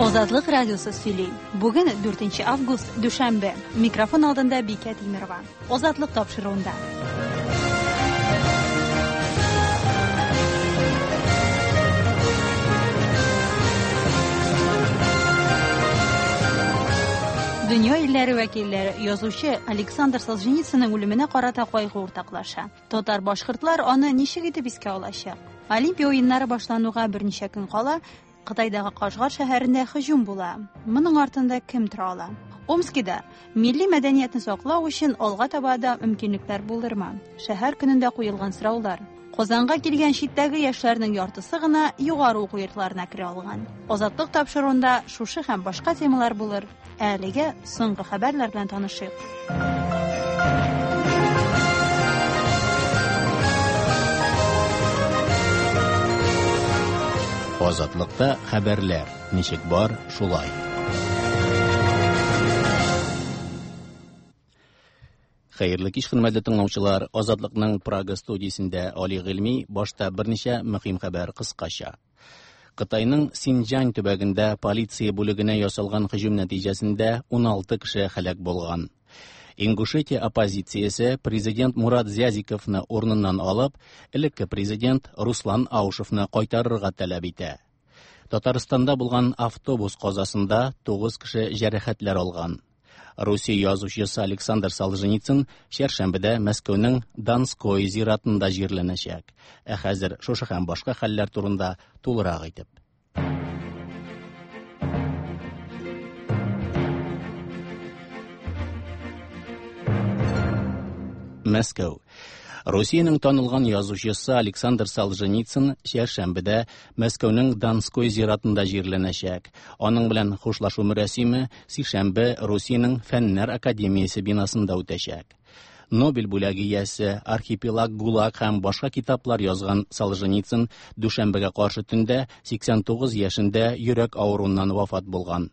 Азатлык радиосы сөйли. Бүген 4 август, дүшәмбе. Микрофон алдында Бикә Тимерова. Азатлык тапшыруында. Дөнья илләре вәкилләре язучы Александр Солженицынның үлеменә карата кайгы уртаклаша. Татар-башкортлар аны ничек итеп искә алачак? Олимпия уеннары башлануга берничә көн кала, Кытайдагы Кашгар шәһәрендә һөҗүм була. Моның артында кем тора ала? Омскида милли мәдәниятне саклау өчен алга таба да мөмкинлекләр булырмы? Шәһәр көнендә куелган сораулар. Казанга килгән читтәге яшьләрнең яртысы гына югары уку йортларына керә алган. Азатлык тапшыруында шушы һәм башка темалар булыр. Ә әлегә соңгы хәбәрләр белән танышыйк. Азатлыкта хәбәрләр ничек бар, шулай. Хәерле кич, хөрмәтле тыңлаучылар. Азатлыкның Прага студиясендә Али Гыйльми башта берничә мөһим хәбәр кыскача. Кытайның Синҗан төбәгендә полиция бүлегенә ясалган һөҗүм нәтиҗәсендә 16 кеше һәлак булган. Ингушетия оппозициясе президент Мурат Зязиковны урыныннан алып, элекке президент Руслан Аушевны кайтарырга таләп итә. Татарстанда булган автобус казасында 9 кеше җәрәхәтләр алган. Русия язучысы Александр Солженицын чәршәмбедә Мәскәүнең Донской зиратында җирләнәчәк. Ә хәзер шушы һәм башка хәлләр турында тулырак итеп. Мәскәү. Русиянең танылган язучысы Александр Солженицын чәршәмбедә Мәскәүнең Донской зиратында җирләнәчәк. Аның белән хушлашу мөрәсиме сишәмбе Русиянең Фәннәр академиясе бинасында үтәчәк. Нобель бүләге иясе, Архипелаг ГУЛАГ һәм башка китаплар язган Солженицын дүшәмбегә каршы төндә 89 яшендә йөрәк авыруыннан вафат булган.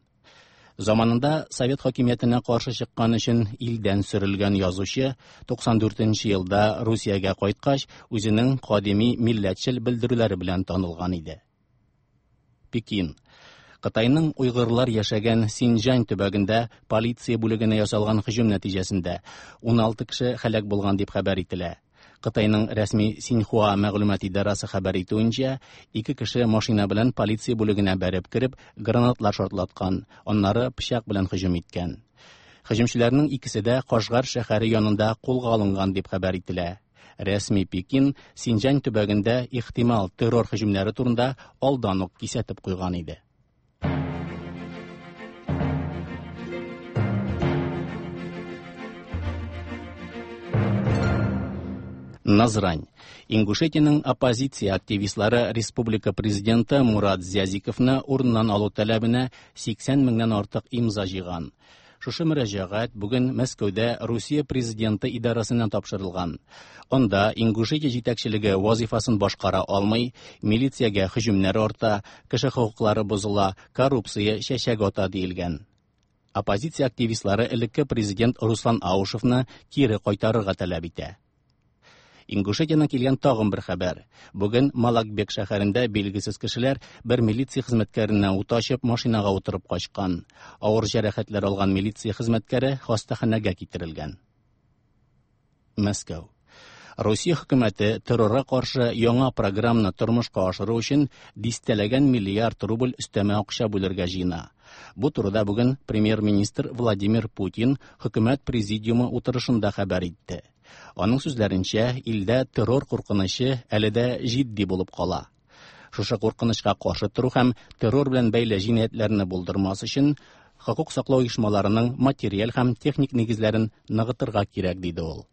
Заманында совет хакимиятенә каршы чыккан өчен илдән сөрелгән язучы 94 нче елда Русиягә кайткач, үзенең кадими милләтчел белдерүләре белән танылган иде. Пекин. Кытайның уйгырлар яшәгән Синҗан төбәгендә полиция бүлегенә ясалган һөҗүм нәтиҗәсендә 16 кеше һәлак булган дип хәбәр ителә. Кытайның рәсми Синьхуа мәгълүмат идарасы хәбәр итүенчә, ике кеше машина белән полиция бүлегенә бәреп кереп, гранатлар шартлаткан, аннары пычак белән һөҗүм иткән. Һөҗүмчеләрнең икесе дә Кашгар шәһәре янында кулга алынган дип хәбәр ителә. Рәсми Пекин Синҗан төбәгендә ихтимал террор һөҗүмнәре турында алдан ук кисәтеп куйган иде. Назрань. Ингушетиянең оппозиция активистлары республика президенты Мурат Зязиковны урыннан алу таләбенә 80 меңнән артык имза җыйган. Шушы мөрәҗәгать бүген Мәскәүдә Русия президенты идарәсенә тапшырылган. Анда Ингушетия җитәкчелеге вазифасын башкара алмый, милициягә һөҗүмнәр арта, кеше хокуклары бозыла, коррупция чәчәк ата диелгән. Оппозиция активистлары элекке президент Руслан Аушевны кире кайтарырга таләп итә. Ингушетиянең килгән тагын бер хәбәр. Бүген Малакбек шәһәрендә билгесез кешеләр бер милиция хезмәткәренә ут ачып, машинага утырып качкан. Авыр җәрәхәтләр алган милиция хезмәткәре хастаханәгә китерелгән. Мәскәү. Русия хөкүмәте террорга каршы яңа программаны тормышка ашыру өчен дистәләгән миллиард рубль өстәмә акча бүлергә җыена. Бу турыда бүген премьер-министр Владимир Путин хөкүмәт президиумы утырышында хәбәр итте. Аның сүзләренчә, илдә террор куркынычы әле дә җитди булып кала. Шушы куркынычка каршы тору һәм террор белән бәйле җинаятьләрне булдырмас өчен хокук саклау оешмаларының материаль һәм техник нигезләрен ныгытырга кирәк, диде ул.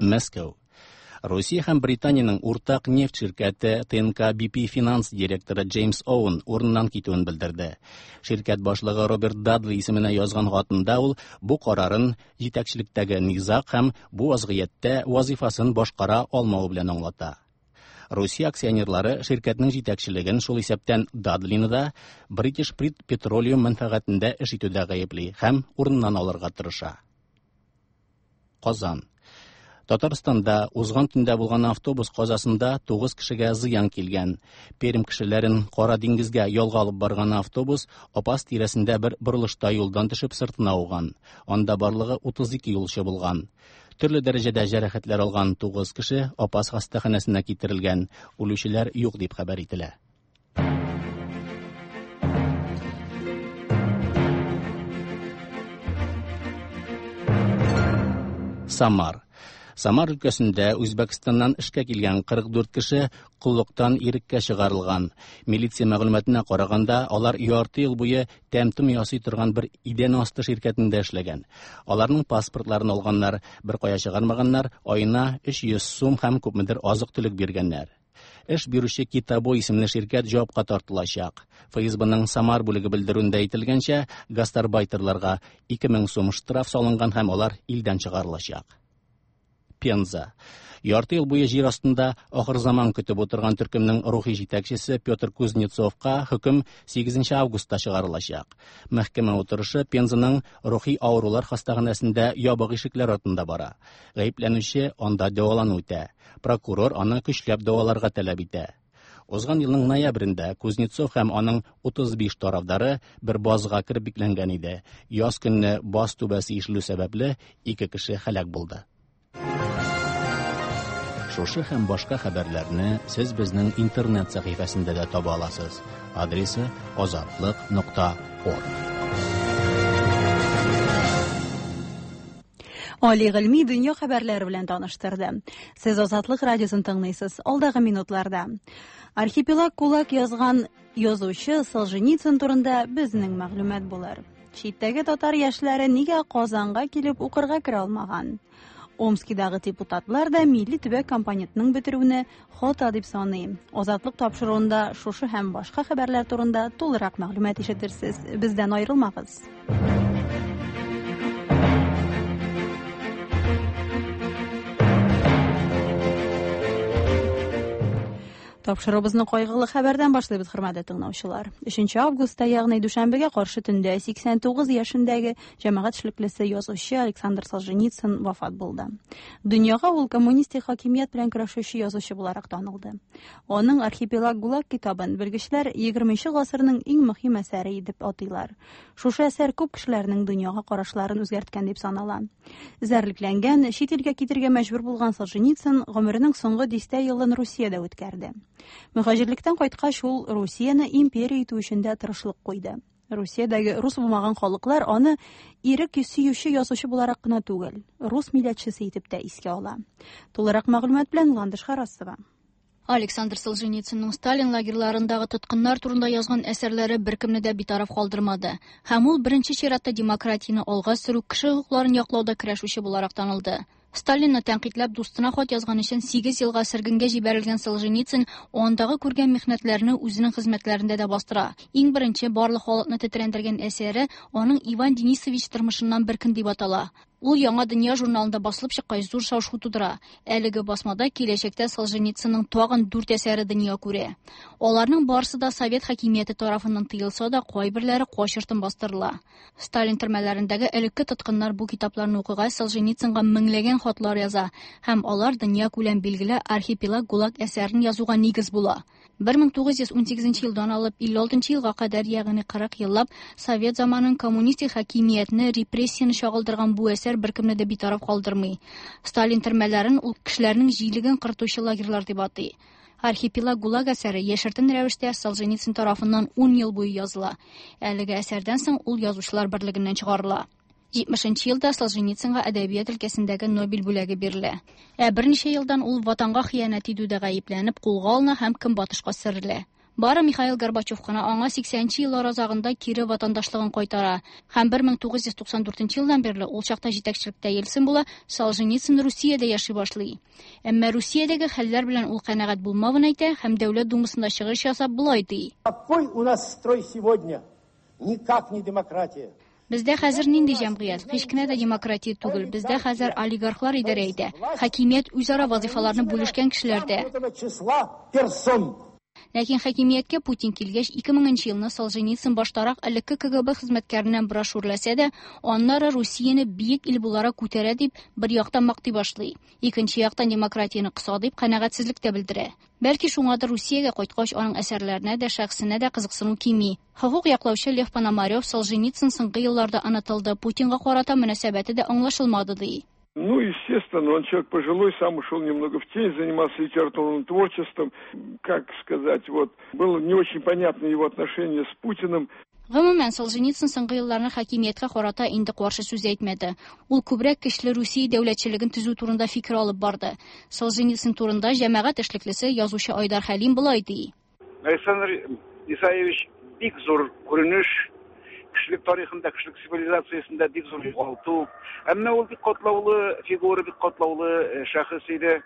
Мәскәү. Русия һәм Британиянең уртак нефть ширкәте ТНК BP финанс директоры Джеймс Оуэн урыннан китүен белдерде. Ширкәт башлыгы Роберт Дадли исеменә язган хатында ул бу карарын җитәкчелектәге низаг һәм бу вазгыятьтә вазифасын башкара алмавы белән аңлата. Русия акционерлары ширкәтнең җитәкчелеген, шул исәптән Дадлины да, British Petroleum мәнфәгатендә эш итүдә гаепли һәм урыннан алырга тырыша. Казан. Татарстанда узган төндә булган автобус казасында 9 кешегә зыян килгән. Пермь кешеләрен Кара диңгезгә ялга алып барган автобус Апас тирәсендә бер борылышта юлдан төшеп сыртына ауган. Анда барлыгы 32 юлчы булган. Төрле дәрәҗәдә җәрәхәтләр алган 9 кеше Апас хастаханәсенә китерелгән. Үлүчеләр юк дип хәбәр ителә. Самар. Самар өлкәсендә Үзбәкстаннан эшкә килгән 44 кеше коллыктан иреккә чыгарылган. Милиция мәгълүматына караганда, алар ярты ел буе тәм-том ясый торган бер идән асты ширкәтендә эшләгән. Аларның паспортларын алганнар, бер кая чыгармаганнар, аена 300 сум һәм күпмедер азык-төлек биргәннәр. Эш бирүче Китабо исемле ширкәт җавапка тартылачак. ФСБның Самар бүлеге белдерүендә әйтелгәнчә, гастарбайтерларга 2000 сум штраф салынган һәм алар илдән чыгарылачак. Пенза. Ярты ел буе җир астында ахыр заман көтеп утырган төркемнең рухи җитәкчесе Петр Кузнецовка хөкем 8 августта чыгарылачак. Мәхкәмә утырышы Пензаның рухи авырулар хастаханәсендә ябык ишекләр артында бара. Гаепләнүче анда дәвалану үтә. Прокурор аны көчләп дәваларга таләп итә. Узган елның ноябрендә Кузнецов һәм аның 35 тарафдары бер базга кереп бикләнгән иде. Яз көнне баз түбәсе ишелү сәбәпле ике кеше һәлак булды. Шушы һәм башка хәбәрләрне сез безнең интернет сәхифәсендә дә таба аласыз. Адресы azatliq.org. Али Гыйльми дөнья хәбәрләре белән таныштырды. Сез Азатлык радиосын тыңлыйсыз. Алдагы минутларда Архипелаг ГУЛАГ язган язучы Солженицын турында безнең мәгълүмат булыр. Читтәге татар яшьләре нигә Казанга килеп укырга керә алмаган? Омскидагы депутатлар да милли төбәк компонентының бетерүне хата дип саный. Азатлык тапшыруында шушы һәм башка хәбәрләр турында тулырак мәгълүмат ишетерсез. Бездән аерылмагыз. Тапшыруыбызны кайгылы хәбәрдән башлыйбыз, хөрмәтле тыңлаучылар. 3 августта, ягъни дүшәмбегә каршы төндә 89 яшендәге җәмәгать эшлеклесе язучы Александр Солженицын вафат булды. Дөньяга ул коммунистик хакимият белән көрәшүче язучы буларак танылды. Аның Архипелаг ГУЛАГ китабын белгечләр 20 гасырның иң мөһим әсәре итеп атыйлар. Шушы әсәр күп кешеләрнең дөньяга карашларын үзгәрткән дип санала. Эзәрлекләнгән, чит илгә китергә мәҗбүр булган Солженицын гомеренең соңгы дистә елын Русиядә үткәрде. Мөхаҗирлектән кайткач, ул Русияне империя итү өчен дә тырышлык куйды. Русиядәге рус булмаган халыклар аны ирек сөюче язучы буларак кына түгел, рус милләтчесе итеп тә искә ала. Тулырак мәгълүмат белән Ландыш Харасова. Александр Солженицынның Сталин лагерьларындагы тоткыннар турында язган әсәрләре беркемне дә битараф калдырмады. Һәм ул беренче чиратта демократияне алга сөрү, кеше хокукларын яклауда көрәшүче буларак танылды. Сталинны тәнкыйтьләп дустына хат язган өчен 8 елга сөргенгә җибәрелгән Солженицын андагы күргән михнәтләрне үзенең хезмәтләрендә дә бастыра. Иң беренче барлык халыкны тетрәндергән әсәре аның Иван Денисович тормышыннан бер көн дип атала. Ул Яңа дөнья журналында басылып чыккач зур шау-шу тудыра. Әлеге басмада киләчәктә Солженицынның тагын 4 әсәре дөнья күрә. Аларның барысы да совет хакимияте тарафыннан тыелса да, кайберләре качыртын бастырыла. Сталин төрмәләрендәге элекке тоткыннар бу китапларны укыгач Солженицынга меңләгән хатлар яза һәм алар дөнья күләм билгеле Архипелаг ГУЛАГ әсәрен язуга нигез була. 1918 елдан алып 56 елга кадәр, ягъни 40 еллап совет заманын коммунистик хакимиятне, репрессияне чагылдырган бу әсәр беркемне дә битараф калдырмый. Сталин төрмәләрен ул кешеләрнең җилеген кыртучы лагерьлар дип атый. Архипелаг ГУЛАГ әсәре яшертен рәвештә Солженицын тарафыннан 10 ел буе языла. Әлеге әсәрдән соң ул язучылар берлегеннән чыгарыла. 70 елда Солженицынга әдәбият өлкәсендәге Нобель бүләге бирелә. Ә берничә елдан ул ватанга хыянәт итүдә гаепләнеп кулга алына һәм көнбатышка сөрелә. Бары Михаил Горбачев кына аңа 80 еллар азагында кире ватандашлыгын кайтара. Һәм 1994 елдан бирле ул чакта җитәкчелектә Ельцин була, Солженицын Русиядә яши башлый. Әмма Русиядәге хәлләр белән ул канәгать булмавын әйтә һәм Дәүләт Думасында чыгыш ясап болай ди. Какой у нас строй сегодня? Никак не демократия. Бездә хәзер нинди җәмгыять? Һич кенә дә демократия түгел. Бездә хәзер олигархлар идарә итә. Хакимият үзара вазифаларны бүлешкән кешеләрдә. Ләкин хакимияткә Путин килгәч, 2000 нче елны Солженицын баштарак элекке КГБ хезмәткәреннән бераз шүрләсә дә, аннары Русияне биек ил буларак күтәрә дип, бер яктан мактый башлый. Икенче яктан демократияне кыса дип канәгатьсезлек тә белдерә. Бәлки шуңадыр Русиягә кайткач аның әсәрләренә дә, шәхесенә дә кызыксыну кими. Хокук яклаучы Лев Пономарев Солженицын соңгы елларда онытылды, Путинга карата мөнәсәбәте дә аңлашылмады ди. Ну, естественно, он человек пожилой, сам ушел немного в тень, занимался литературным творчеством. Как сказать, вот, было не очень понятно его отношение с Путиным. Гомумән, Солженицын соңгы елларны хакимияткә карата инде каршы сүз әйтмәде. Ул күбрәк көчле Русия дәүләтчелеген төзү турында фикер алып барды. Солженицын турында җәмәгать эшлеклесе, язучы Айдар Хәлим болай ди. Александр Исаевич бик зур күренеш, кешелек тарихында, кешелек цивилизациясендә бик зур югалту. Әмма ул бик катлаулы фигура, бик катлаулы э, шәхес иде.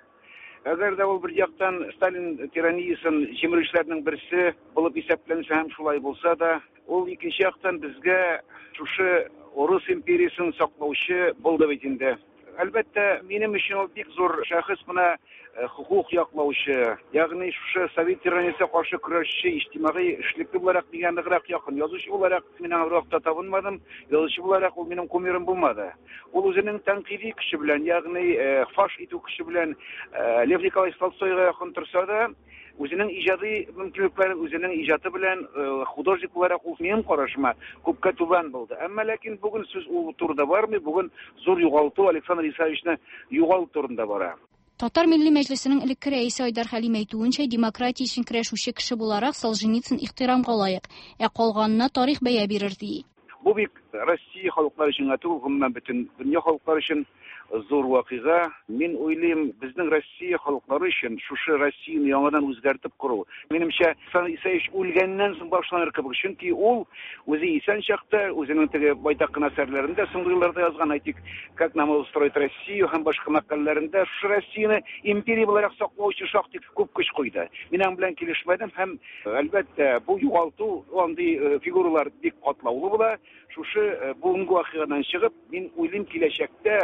Әгәр дә ул бер яктан Сталин тираниясен җимерүчеләрнең берсе булып исәпләнсә һәм шулай булса да, ул икенче яктан безгә шушы Урыс империясен саклаучы булды бит инде. Әлбәттә, минем өчен ул бик зур шәхес, менә э, хокук яклаучы, ягъни шушы совет тираниясенә каршы көрәшче, иҗтимагый эшлекле буларак миңа ныграк якын. Язучы буларак мин аңа бервакытта табынмадым, язучы буларак ул минем кумирым булмады. Ул үзенең тәнкыйди көче белән, ягъни э, фаш итү көче белән э, Лев Николаевич Толстойга якын торса да, үзенең иҗади мөмкинлекләре, үзенең иҗаты белән э, художник буларак ул минем карашыма күпкә түбән булды. Әмма ләкин бүген сүз ул турыда бармый, бүген зур югалту Александр Исаевичны югалту турында бара. Татар Милли Мәҗлесенең элекке рәисе Айдар Хәлим әйтүенчә, демократия өчен көрәшүче кеше буларак Солженицын ихтирамга лаек, ә калганына тарих бәя бирер ди. Бу бик Россия халыклары өчен генә түгел, гомумән бөтен дөнья халыклары өчен зур вакыйга. Мин уйлыйм, безнең Россия халыклары өчен шушы Россияне яңадан үзгәртеп кору, минемчә, Александр Исаевич үлгәннән соң башланыр кебек. Чөнки ул үзе исән чакта үзенең теге байтак кына әсәрләрендә соңгы елларда язган, әйтик, Как нам устроить Россию һәм башка мәкаләләрендә шушы Россияне империя буларак саклау өчен шактый күп көч куйды. Мин аның белән килешмәдем һәм Әлбәттә, бу югалту, андый э, фигуралар бик катлаулы була. Шушы э, бүгенге вакыйгадан чыгып, мин уйлыйм, киләчәктә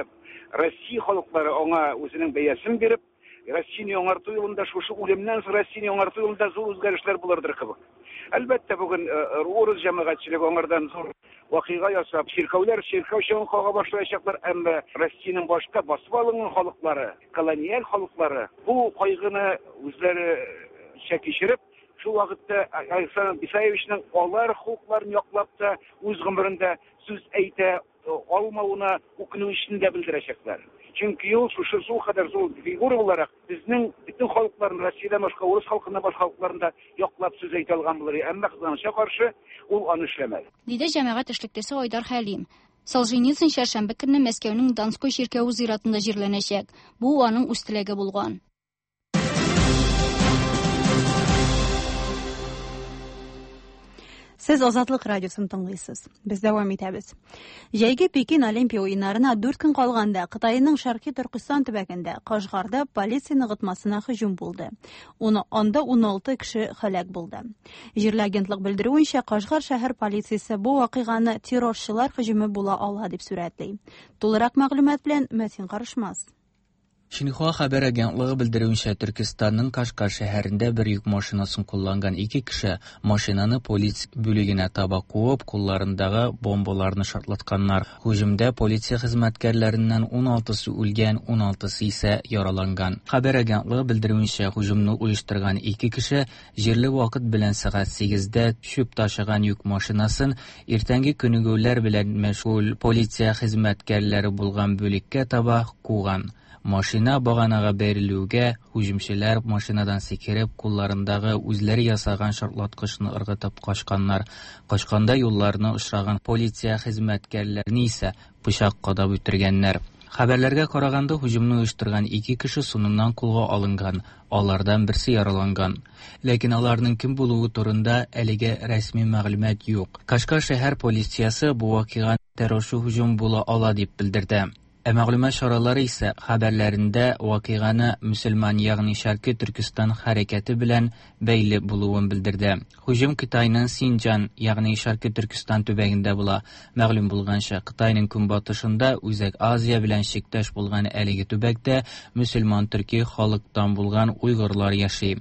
Россия халыклары аңа үзенең бәясен биреп, Россияне яңарту юлында, шушы үлемнән соң Россияне яңарту юлында зур үзгәрешләр булырдыр кебек. Әлбәттә, бүген э, урыс җәмәгатьчелеге аңардан зур вакыйга ясап, чиркәүләр чиркәү чыңын кага башлаячаклар, әмма Россиянең башка басып алынган халыклары, колониаль халыклары бу кайгыны үзләренчә кичереп, шул вакытта Александр Исаевичның алар хокукларын яклап та үз гомерендә сүз әйтә алмавына үкенү дә белдерәчәкләр. Чөнки ул шушы шул кадәр зур фигура буларак безнең бөтен халыкларны, Россиядән башка, урыс халкыннан башка халыкларны да яклап сүз әйтә алган булыр. Әмма кызганычка каршы, ул аны эшләмәде. Диде җәмәгать эшлеклесе Айдар Хәлим. Солженицын чәршәмбе көнне Мәскәүнең Донской чиркәве зиратында җирләнәчәк. Бу аның үз теләге булган. Сез Азатлык радиосын тыңлыйсыз. Без дәвам итәбез. Җәйге Пекин Олимпия уеннарына 4 көн калганда Кытайның Шәрқи Төркестан төбәгендә Кашгарда полиция ныгытмасына һөҗүм булды. Уны анда 16 кеше һәлак булды. Җирле агентлык белдерүенчә, Кашгар шәһәр полициясе бу вакыйганы террорчылар һөҗүме була ала дип сурәтли. Тулырак мәгълүмат белән Мәтин Карышмас. Шинхуа хәбәр агентлыгы белдерүенчә, Төркестанның Кашгар шәһәрендә бер йөк машинасын кулланган ике кеше машинаны полиция бүлегенә таба куып, кулларындагы бомбаларны шартлатканнар. Һөҗүмдә полиция хезмәткәрләреннән 16-сы үлгән, 16-сы исә яраланган. Хәбәр агентлыгы белдерүенчә, һөҗүмне оештырган ике кеше җирле вакыт белән сәгать 8-дә чүп ташыган йөк машинасын иртәнге күнегүләр белән мәшгуль полиция хезмәткәрләре булган бүлеккә таба куган. Машина баганага бәрелүгә, һөҗүмчеләр машинадан сикереп, кулларындагы үзләре ясаган шартлаткычны ыргытып качканнар. Качканда юлларына очраган полиция хезмәткәрләрен исә пычак кадап үтергәннәр. Хәбәрләргә караганда, һөҗүмне оештырган ике кеше соңыннан кулга алынган, алардан берсе яраланган. Ләкин аларның кем булуы турында әлегә рәсми мәгълүмат юк. Кашгар шәһәр полициясе бу вакыйга террорчы һөҗүм була ала дип белдерде. Ә мәгълүмат чаралары исә хәбәрләрендә вакыйганы мөселман, ягъни Шәрқи Төркестан хәрәкәте белән бәйле булуын белдерде. Һөҗүм Кытайның Синҗан, ягъни Шәрқи Төркестан төбәгендә була. Мәгълүм булганча, Кытайның көнбатышында Үзәк Азия белән чиктәш булган әлеге төбәктә мөселман төрки халыктан булган уйгырлар яши.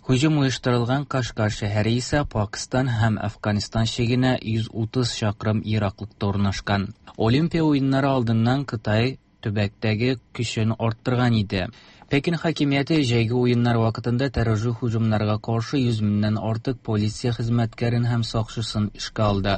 Һөҗүм оештырылган Кашгар шәһәре исә Пакстан һәм Әфганстан чигенә 130 чакрым ераклыкта урнашкан. Олимпия уеннары алдыннан Кытай төбәктәге көчен арттырган иде. Пекин хакимияте җәйге уеннар вакытында террорчы һөҗүмнәргә каршы 100 меңнән артык полиция хезмәткәрен һәм сакчысын эшкә алды.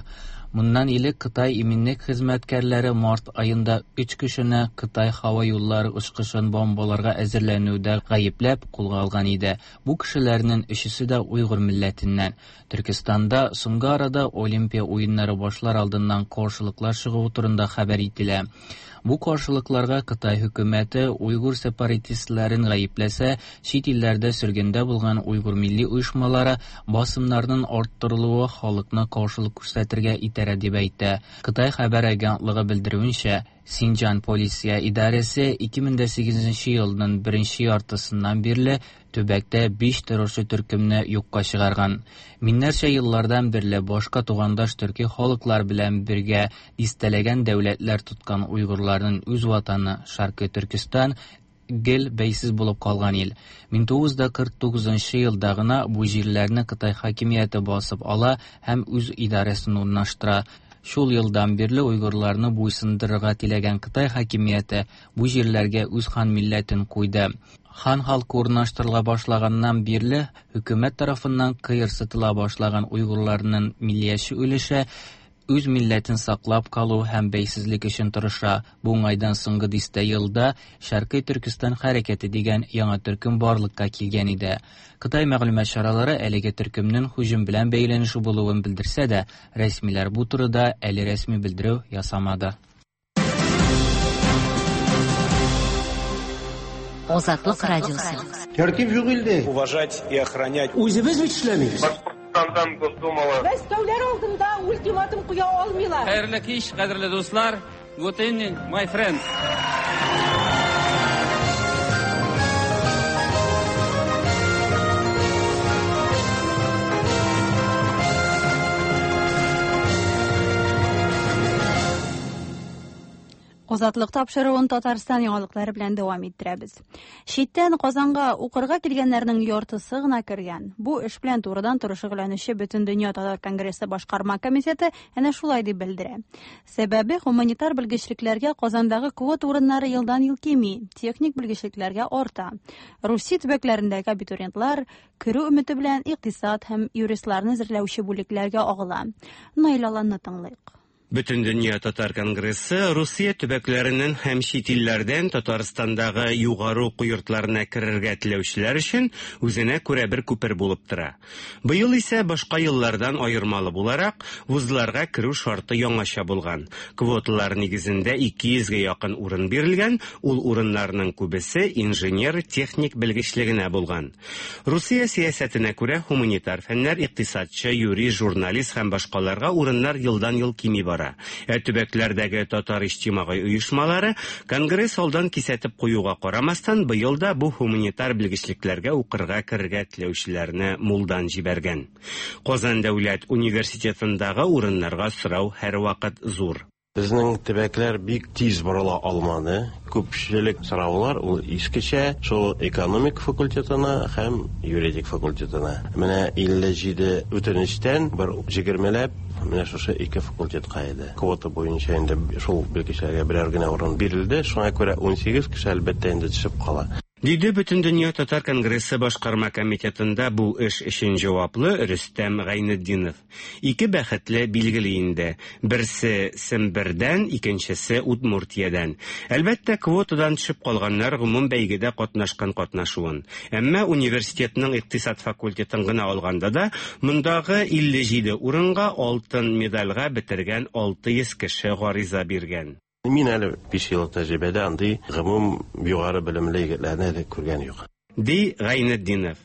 Моннан элек Кытай иминлек хезмәткәрләре март аенда өч кешене Кытай һава юллары очкычын бомбаларга әзерләнүдә гаепләп кулга алган иде. Бу кешеләрнең өчесе дә уйгыр милләтеннән. Төркестанда соңгы арада Олимпия уеннары башлар алдыннан каршылыклар чыгуы турында хәбәр ителә. Бу каршылыкларга Кытай хөкүмәте уйгыр сепаратистларын гаепләсә, чит илләрдә сөргендә булган уйгыр милли оешмалары басымнарның арттырылуы халыкны каршылык күрсәтергә этәрә дип әйтә. Кытай хәбәр агентлыгы белдерүенчә, Синҗан полиция идарәсе 2008 елның беренче яртысыннан бирле төбәктә 5 террорчы төркемне юкка чыгарган. Миңнәрчә еллардан бирле башка тугандаш төрки халыклар белән бергә дистәләгән дәүләтләр тоткан уйгырларның үз ватаны Шаркый Төркестан гел бәйсез булып калган ил. 1949 елда гына бу җирләрне Кытай хакимияте басып ала һәм үз идарәсен урнаштыра. Шул елдан бирле уйгырларны буйсындырырга теләгән Кытай хакимияте бу җирләргә үз хан милләтен куйды. Хан халкы урнаштырыла башлаганнан бирле хөкүмәт тарафыннан кыерсытыла башлаган уйгырларның миллияче өлеше үз милләтен саклап калу һәм бәйсезлек өчен тырыша. Бу уңайдан соңгы дистә елда Шәркый Төркестан хәрәкәте дигән яңа төркем барлыкка килгән иде. Кытай мәгълүмат чаралары әлеге төркемнең һөҗүм белән бәйләнеше булуын белдерсә дә, рәсмиләр бу турыда әле рәсми белдерү ясамады. Азатлык радиосы. Тәртип юк илдә. Уважать и охранять. Үзебез бит эшләмибез. Башкортстандан Госдумалы. Мәскәүләр алдында ультиматум куя алмыйлар. Хәерле кич, кадерле дуслар. Good evening, my friends. Азатлык тапшыруын Татарстан яңалыклары белән дәвам иттерәбез. Читтән Казанга укырга килгәннәрнең яртысы гына кергән. Бу эш белән турыдан-туры шөгыльләнүче Бөтендөнья татар конгрессы башкарма комитеты әнә шулай дип белдерә. Сәбәбе гуманитар белгечлекләргә Казандагы квота урыннары елдан-ел кими, техник белгечлекләргә арта. Русия төбәкләрендәге абитуриентлар керү өмете белән икътисад һәм юристларны әзерләүче бүлекләргә агыла. Наил Аланны тыңлыйк. Бөтендөнья татар конгрессы Русия төбәкләреннән һәм чит илләрдән Татарстандагы югары уку йортларына керергә теләүчеләр өчен үзенә күрә бер күпер булып тора. Быел исә башка еллардан аермалы буларак, вузларга керү шарты яңача булган. Квоталар нигезендә 200гә якын урын бирелгән, ул урыннарның күбесе инженер, техник белгечлегенә булган. Русия сәясәтенә күрә гуманитар фәннәр, икътисадчы, юрист, журналист һәм башкаларга урыннар елдан-ел кими бара. Ә төбәкләрдәге татар иҗтимагый оешмалары конгресс алдан кисәтеп куюга карамастан, быел да бу гуманитар белгечлекләргә укырга керергә теләүчеләрне мулдан җибәргән. Казан дәүләт университетындагы урыннарга сорау һәрвакыт зур. Безнең төбәкләр бик тиз борыла алмады. Күпчелек сораулар ул искечә шул экономик факультетына һәм юридик факультетына. Менә 57 үтенечтән бер 20ләп менә шушы ике факультетка иде. Квота буенча инде шул белгечләргә берәр генә урын бирелде. Шуңа күрә 18 кеше әлбәттә инде төшеп кала. Диде Бөтендөнья татар конгрессы башкарма комитетында бу эш өчен җаваплы Рөстәм Гайнетдинов. Ике бәхетле билгеле инде. Берсе Сембердән, икенчесе Удмуртиядән. Әлбәттә, квотадан төшеп калганнар гомум бәйгедә катнашкан катнашуын. Әмма университетның икътисад факультетын гына алганда да, мондагы 57 урынга алтын медальгә бетергән 600 кеше гариза биргән. Мин әле 5 еллык тәҗрибәдә андый гомум югары белемле егетләрне әле күргән юк. Ди Гайнетдинов.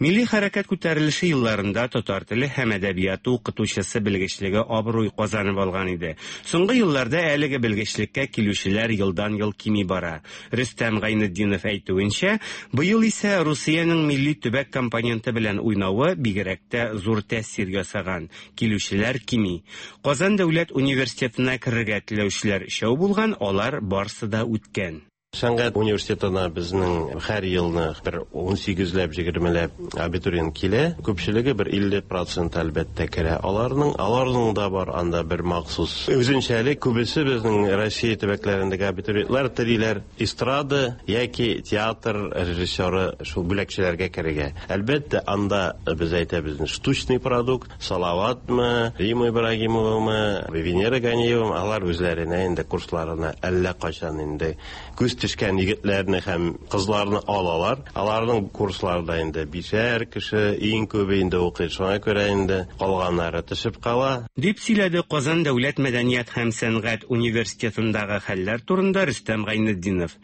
Милли хәрәкәт күтәрелеше елларында татар теле һәм әдәбияты укытучысы белгечлеге абруй казанып алган иде. Соңгы елларда әлеге белгечлеккә килүчеләр елдан-ел кими бара. Рөстәм Гайнетдинов әйтүенчә, быел исә Русиянең милли төбәк компоненты белән уйнавы бигрәк тә зур тәэсир ясаган. Килүчеләр кими. Казан дәүләт университетына керергә теләүчеләр өчәү булган, алар барсы да үткән. Сәнгать университетына безнең һәр елны бер 18ләп, 20ләп абитуриент килә. Күпчелеге бер 50 процент әлбәттә керә аларның. Аларның да бар анда бер махсус үзенчәлек. Күбесе безнең Россия төбәкләрендәге абитуриентлар телиләр эстрада яки театр режиссеры шул бүләкчеләргә керергә. Әлбәттә, анда без әйтәбез штучный продукт, Салаватмы, Рима Ибрагимовамы, Венера Ганиевамы, алар үзләренә инде курсларына әллә кайчан инде күз төшкән егетләрне һәм кызларны алалар. Аларның курсларында инде бишәр кеше, иң күбе инде укый. Шуңа күрә инде калганнары төшеп кала. Дип сөйләде Казан дәүләт мәдәният һәм сәнгать университетындагы хәлләр турында Рөстәм Гайнетдинов.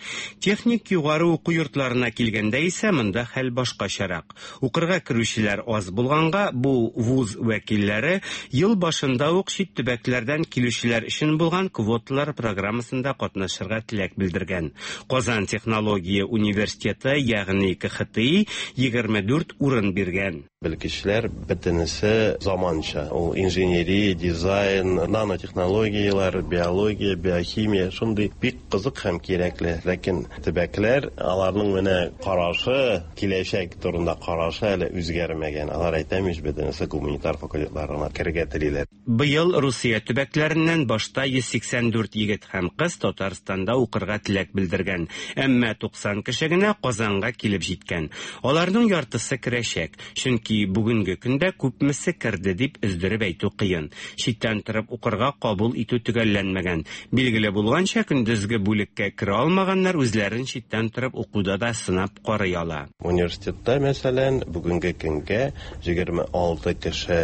Техник югары уку йортларына килгәндә исә монда хәл башкачарак. Укырга керүчеләр аз булганга, бу вуз вәкилләре ел башында ук чит төбәкләрдән килүчеләр өчен булган квоталар программасында катнашырга теләк белдергән. Казан технология университеты, ягъни КХТИ, 24 урын биргән. Белгечләр бөтенесе заманча. Ул инженерия, дизайн, нанотехнологияләр, биология, биохимия шундый бик кызык һәм кирәкле. Ләкин төбәкләр, аларның менә карашы, киләчәк турында карашы әле үзгәрмәгән. Алар әйтәм ич, бөтенесе гуманитар факультетларына керергә телиләр. Быел Русия төбәкләреннән башта 184 егет һәм кыз Татарстанда укырга теләк белдергән. Әмма 90 кеше генә Казанга килеп җиткән. Аларның яртысы керәчәк. Чөнки бүгенге көндә күпмесе керде дип өздереп әйтү кыен. Читтән торып укырга кабул итү төгәлләнмәгән. Билгеле булганча, көндезге бүлеккә керә алмаганнар үзләрен читтән торып укуда да сынап карый ала. Университетта, мәсәлән, бүгенге көнгә 26 кеше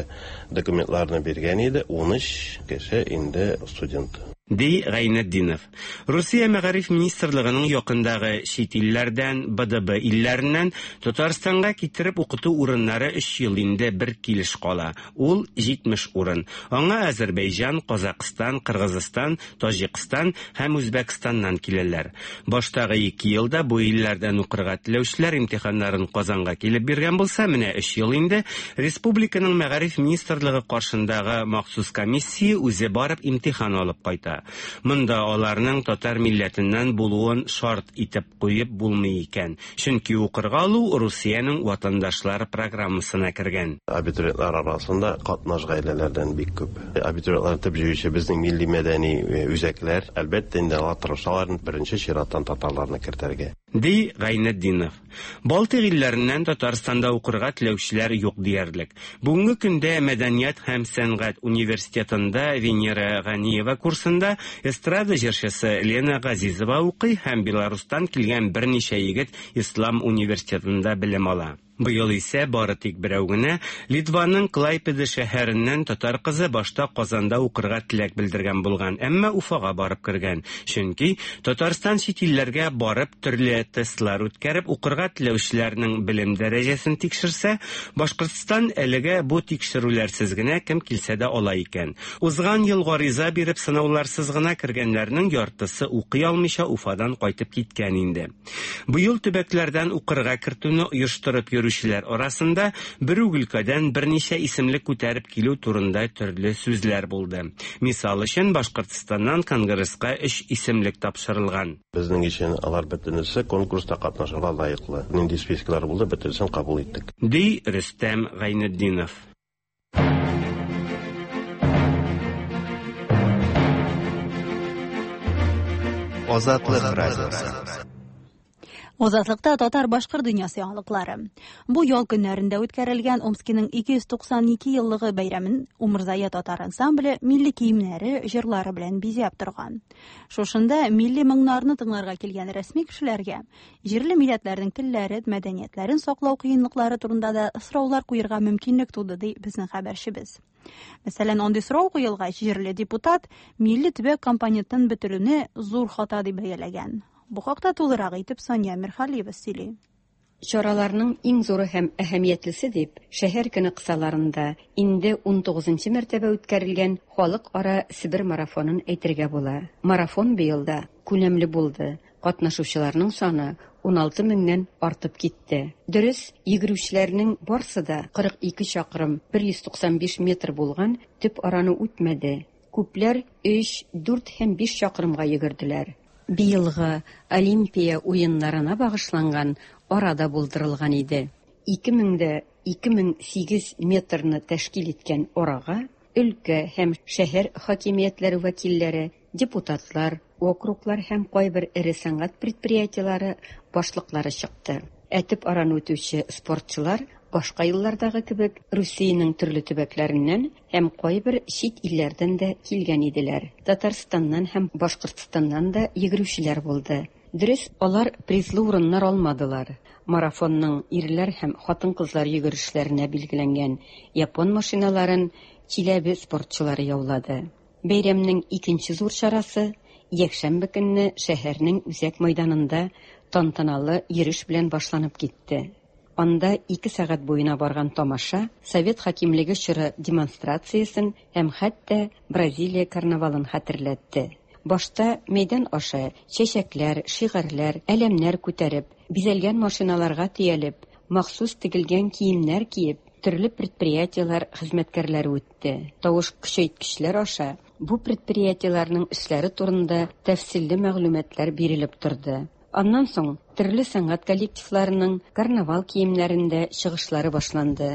документларны биргән иде, 13 кеше инде студент. Ди Гайнетдинов. Русия мәгариф министрлыгының якындагы чит илләрдән, БДБ илләреннән Татарстанга китереп укыту урыннары 3 ел инде бер килеш кала. Ул 70 урын. Аңа Азәрбайҗан, Казакъстан, Кыргызстан, Таҗикстан һәм Үзбәкстаннан киләләр. Баштагы 2 елда бу илләрдән укырга теләүчеләр имтиханнарын Казанга килеп биргән булса, менә 3 ел инде республиканың мәгариф министрлыгы каршындагы махсус комиссия үзе барып имтихан алып кайта. Монда аларның татар милләтеннән булуын шарт итеп куеп булмый икән. Чөнки укырга алу Русиянең ватандашлар программасына кергән. Абитуриентлар арасында катнаш гаиләләрдән бик күп. Абитуриентлар төп җыючы безнең милли мәдәни үзәкләр. Әлбәттә, инде алар тырышалар беренче чираттан татарларны кертергә. Ди Гайнетдинов. Балтыйк илләреннән Татарстанда укырга теләүчеләр юк диярлек. Бүгенге көндә Мәдәният һәм сәнгать университетында Венера Ганиева курсында эстрада җырчысы Лена Газизова укый һәм Беларустан килгән берничә егет Ислам университетында белем ала. Быел исә бары тик берәү генә Литваның Клайпеда шәһәреннән татар кызы башта Казанда укырга теләк белдергән булган, әмма Уфага барып кергән. Чөнки Татарстан чит илләргә барып төрле тестлар үткәреп укырга теләүчеләрнең белем дәрәҗәсен тикшерсә, Башкортстан әлегә бу тикшерүләрсез генә кем килсә дә ала икән. Узган ел гариза биреп сынауларсыз гына кергәннәрнең яртысы укый алмыйча Уфадан кайтып киткән инде. Быел төбәкләрдән укырга кертүне оештырып йөрүчеләр арасында бер үк өлкәдән берничә исемлек күтәреп килү турында төрле сүзләр булды. Мисал өчен, Башкортстаннан Конгресска 3 исемлек тапшырылган. Безнең өчен алар бөтенесе конкурста катнашырга лаеклы. Нинди списоклар булды, бөтенесен кабул иттек. Ди Рөстәм Гайнетдинов. Азатлык радиосы. Азатлыкта татар башкорт дөньясы яңалыклары. Бу ял көннәрендә үткәрелгән Омскиның 292 еллыгы бәйрәмен Умырзая татар ансамбле милли киемнәре, җырлары белән бизәп торган. Шушында милли моңнарны тыңларга килгән рәсми кешеләргә җирле милләтләрнең телләре, мәдәниятләрен саклау кыенлыклары турында да сораулар куерга мөмкинлек туды, ди безнең хәбәрчебез. Мәсәлән, андый сорау куелгач, җирле депутат милли төбәк компонентын бетерүне зур хата дип бәяләгән. Бу хакта тулырак итеп Сания Мирхалиева сөйли. Чараларның иң зуры һәм әһәмиятлесе дип, шәһәр көне кысаларында инде 19 мәртәбә үткәрелгән халыкара Себер марафонын әйтергә була. Марафон быел да күләмле булды. Катнашучыларның саны 16 меңнән артып китте. Дөрес, йөгерүчеләрнең барсы да 42 чакрым 195 метр булган төп араны үтмәде. Күпләр 3, 4 һәм 5 чакрымга йөгерделәр. Быелгы Олимпия уеннарына багышланган ара да булдырылган иде. 2000 дә 2008 метрны тәшкил иткән арага өлкә һәм шәһәр хакимиятләре вәкилләре, депутатлар, округлар һәм кайбер эре сәнәгать предприятиеләре башлыклары чыкты. Ә төп араны үтүче спортчылар башка еллардагы кебек Русиянең төрле төбәкләреннән һәм кайбер чит илләрдән дә килгән иделәр. Татарстаннан һәм Башкортстаннан да йөгерүчеләр булды. Дөрес, алар призлы урыннар алмадылар. Марафонның ирләр һәм хатын-кызлар йөгерешләренә билгеләнгән япон машиналарын Чиләбе спортчылары яулады. Бәйрәмнең икенче зур чарасы якшәмбе көнне шәһәрнең үзәк мәйданында тантаналы йөреш белән башланып китте. Анда 2 сәгать буена барган тамаша совет хакимлеге чоры демонстрациясен һәм хәтта Бразилия карнавалын хәтерләтте. Башта мәйдан аша чәчәкләр, шигарьләр, әләмнәр күтәреп, бизәлгән машиналарга төялеп, махсус тегелгән киемнәр киеп, төрле предприятиеләр хезмәткәрләре үтте. Тавыш көчәйткечләр аша бу предприятиеләрнең эшләре турында тәфсилле мәгълүматлар бирелеп торды. Аннан соң төрле сәнгать коллективларының карнавал киемнәрендә чыгышлары башланды.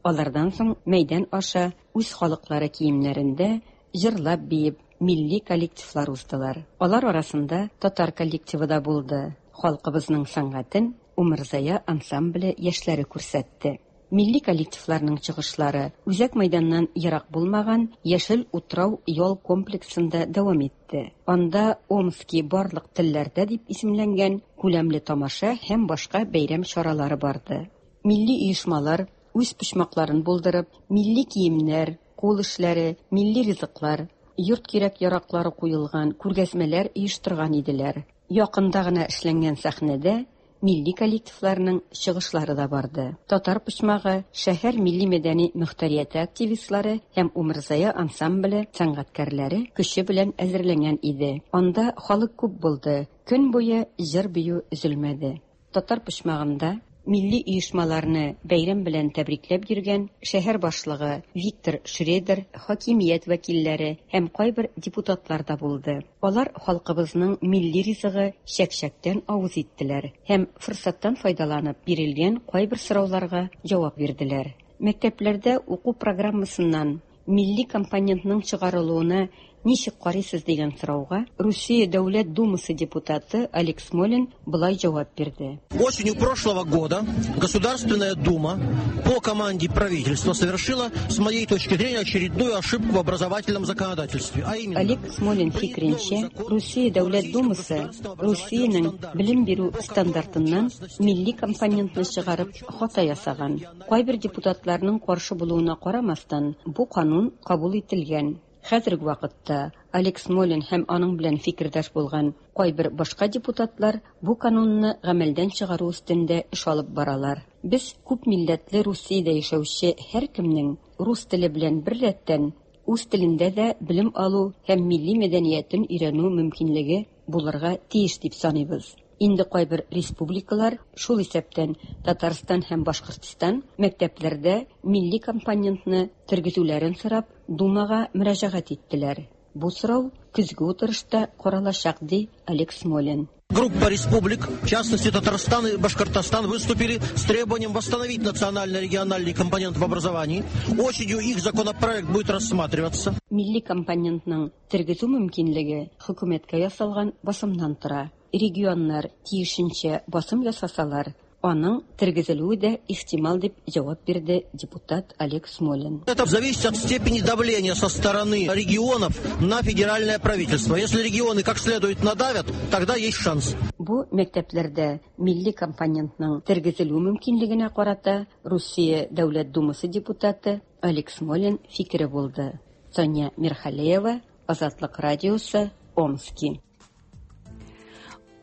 Алардан соң мәйдан аша үз халыклары киемнәрендә җырлап биеп милли коллективлар уздылар. Алар арасында татар коллективы да булды. Халкыбызның сәнгатен Умырзая ансамбле яшьләре күрсәтте. Милли коллективларның чыгышлары үзәк мәйданнан ерак булмаган Яшел утрау ял комплексында дәвам итте. Анда Омски барлык телләрдә дип исемләнгән күләмле тамаша һәм башка бәйрәм чаралары барды. Милли оешмалар үз почмакларын булдырып, милли киемнәр, кул эшләре, милли ризыклар, йорт кирәк-яраклары куелган күргәзмәләр оештырган иделәр. Якында гына эшләнгән сәхнәдә милли коллективларның чыгышлары да барды. Татар почмагы шәһәр милли-мәдәни мөхтәрияте активистлары һәм Умырзая ансамбле сәнгатькәрләре көче белән әзерләнгән иде. Анда халык күп булды. Көн буе җыр-бию өзелмәде. Татар почмагында милли оешмаларны бәйрәм белән тәбрикләп йөргән шәһәр башлыгы Виктор Шредер, хакимият вәкилләре һәм кайбер депутатлар да булды. Алар халкыбызның милли ризыгы чәк-чәктән авыз иттеләр һәм форсаттан файдаланып бирелгән кайбер сорауларга җавап бирделәр. Мәктәпләрдә уку программасыннан милли компонентның чыгарылуына ничек карыйсыз дигән сорауга Русия Дәүләт Думасы депутаты Олег Смолин болай җавап бирде. Осенью прошлого года Государственная Дума по команде правительства совершила, с моей точки зрения, очередную ошибку в образовательном законодательстве. А именно, Олег Смолин фикеренчә, Русия Дәүләт Думасы Русиянең белем бирү стандартыннан милли компонентны чыгарып хата ясаган. Кайбер депутатларның каршы булуына карамастан, бу канун кабул ителгән. Хәзерге вакытта Олег Смолин һәм аның белән фикердәш булган кайбер башка депутатлар бу канунны гамәлдән чыгару өстендә эш алып баралар. Без күп милләтле Русиядә яшәүче һәркемнең рус теле белән беррәттән үз телендә дә белем алу һәм милли мәдәниятен өйрәнү мөмкинлеге булырга тиеш дип саныйбыз. Инде кайбер республикалар, шул исәптән Татарстан һәм Башкортстан, мәктәпләрдә милли компонентны тергезүләрен сорап, Думага мөрәҗәгать иттеләр. Бу сорау көзге утырышта каралачак, ди Олег Смолин. Группа республик, в частности Татарстан и Башкортостан, выступили с требованием восстановить национально-региональный компонент в образовании. Осенью их законопроект будет рассматриваться. Милли компонентның тергезү мөмкинлеге хөкүмәткә ясалган басымнан тора. Регионнар тиешенчә басым ясасалар, аның тергезелүе дә ихтимал дип җавап бирде депутат Олег Смолин. Это зависит от степени давления со стороны регионов на федеральное правительство. Если регионы как следует надавят, тогда есть шанс. Бу мәктәпләрдә милли компонентның тергезелү мөмкинлегенә карата Русия Дәүләт Думасы депутаты Олег Смолин фикере булды. Соня Мирхалеева, Азатлык радиосы, Омски.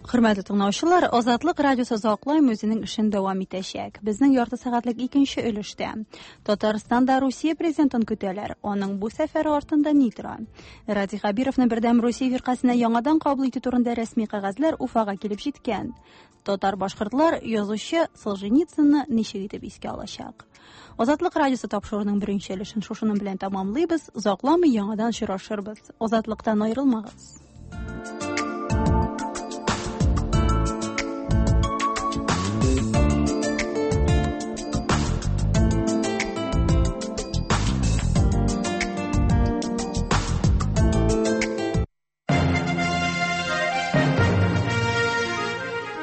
Хөрмәтле тыңлаучылар, Азатлык радиосы озакламый үзенең эшен дәвам итәчәк. Безнең ярты сәгатьлек икенче өлештә Татарстанда Русия президентын көтәләр. Аның бу сәфәре артында ни тора? Радий Хәбировны Бердәм Русия фиркасенә яңадан кабул итү турында рәсми кәгазьләр Уфага килеп җиткән. Татар башкортлар язучы Солженицынны ничек итеп искә алачак? Азатлык радиосы тапшыруының беренче өлешен шушының белән тәмамлыйбыз. Озакламый яңадан очрашырбыз. Азатлыктан аерылмагыз.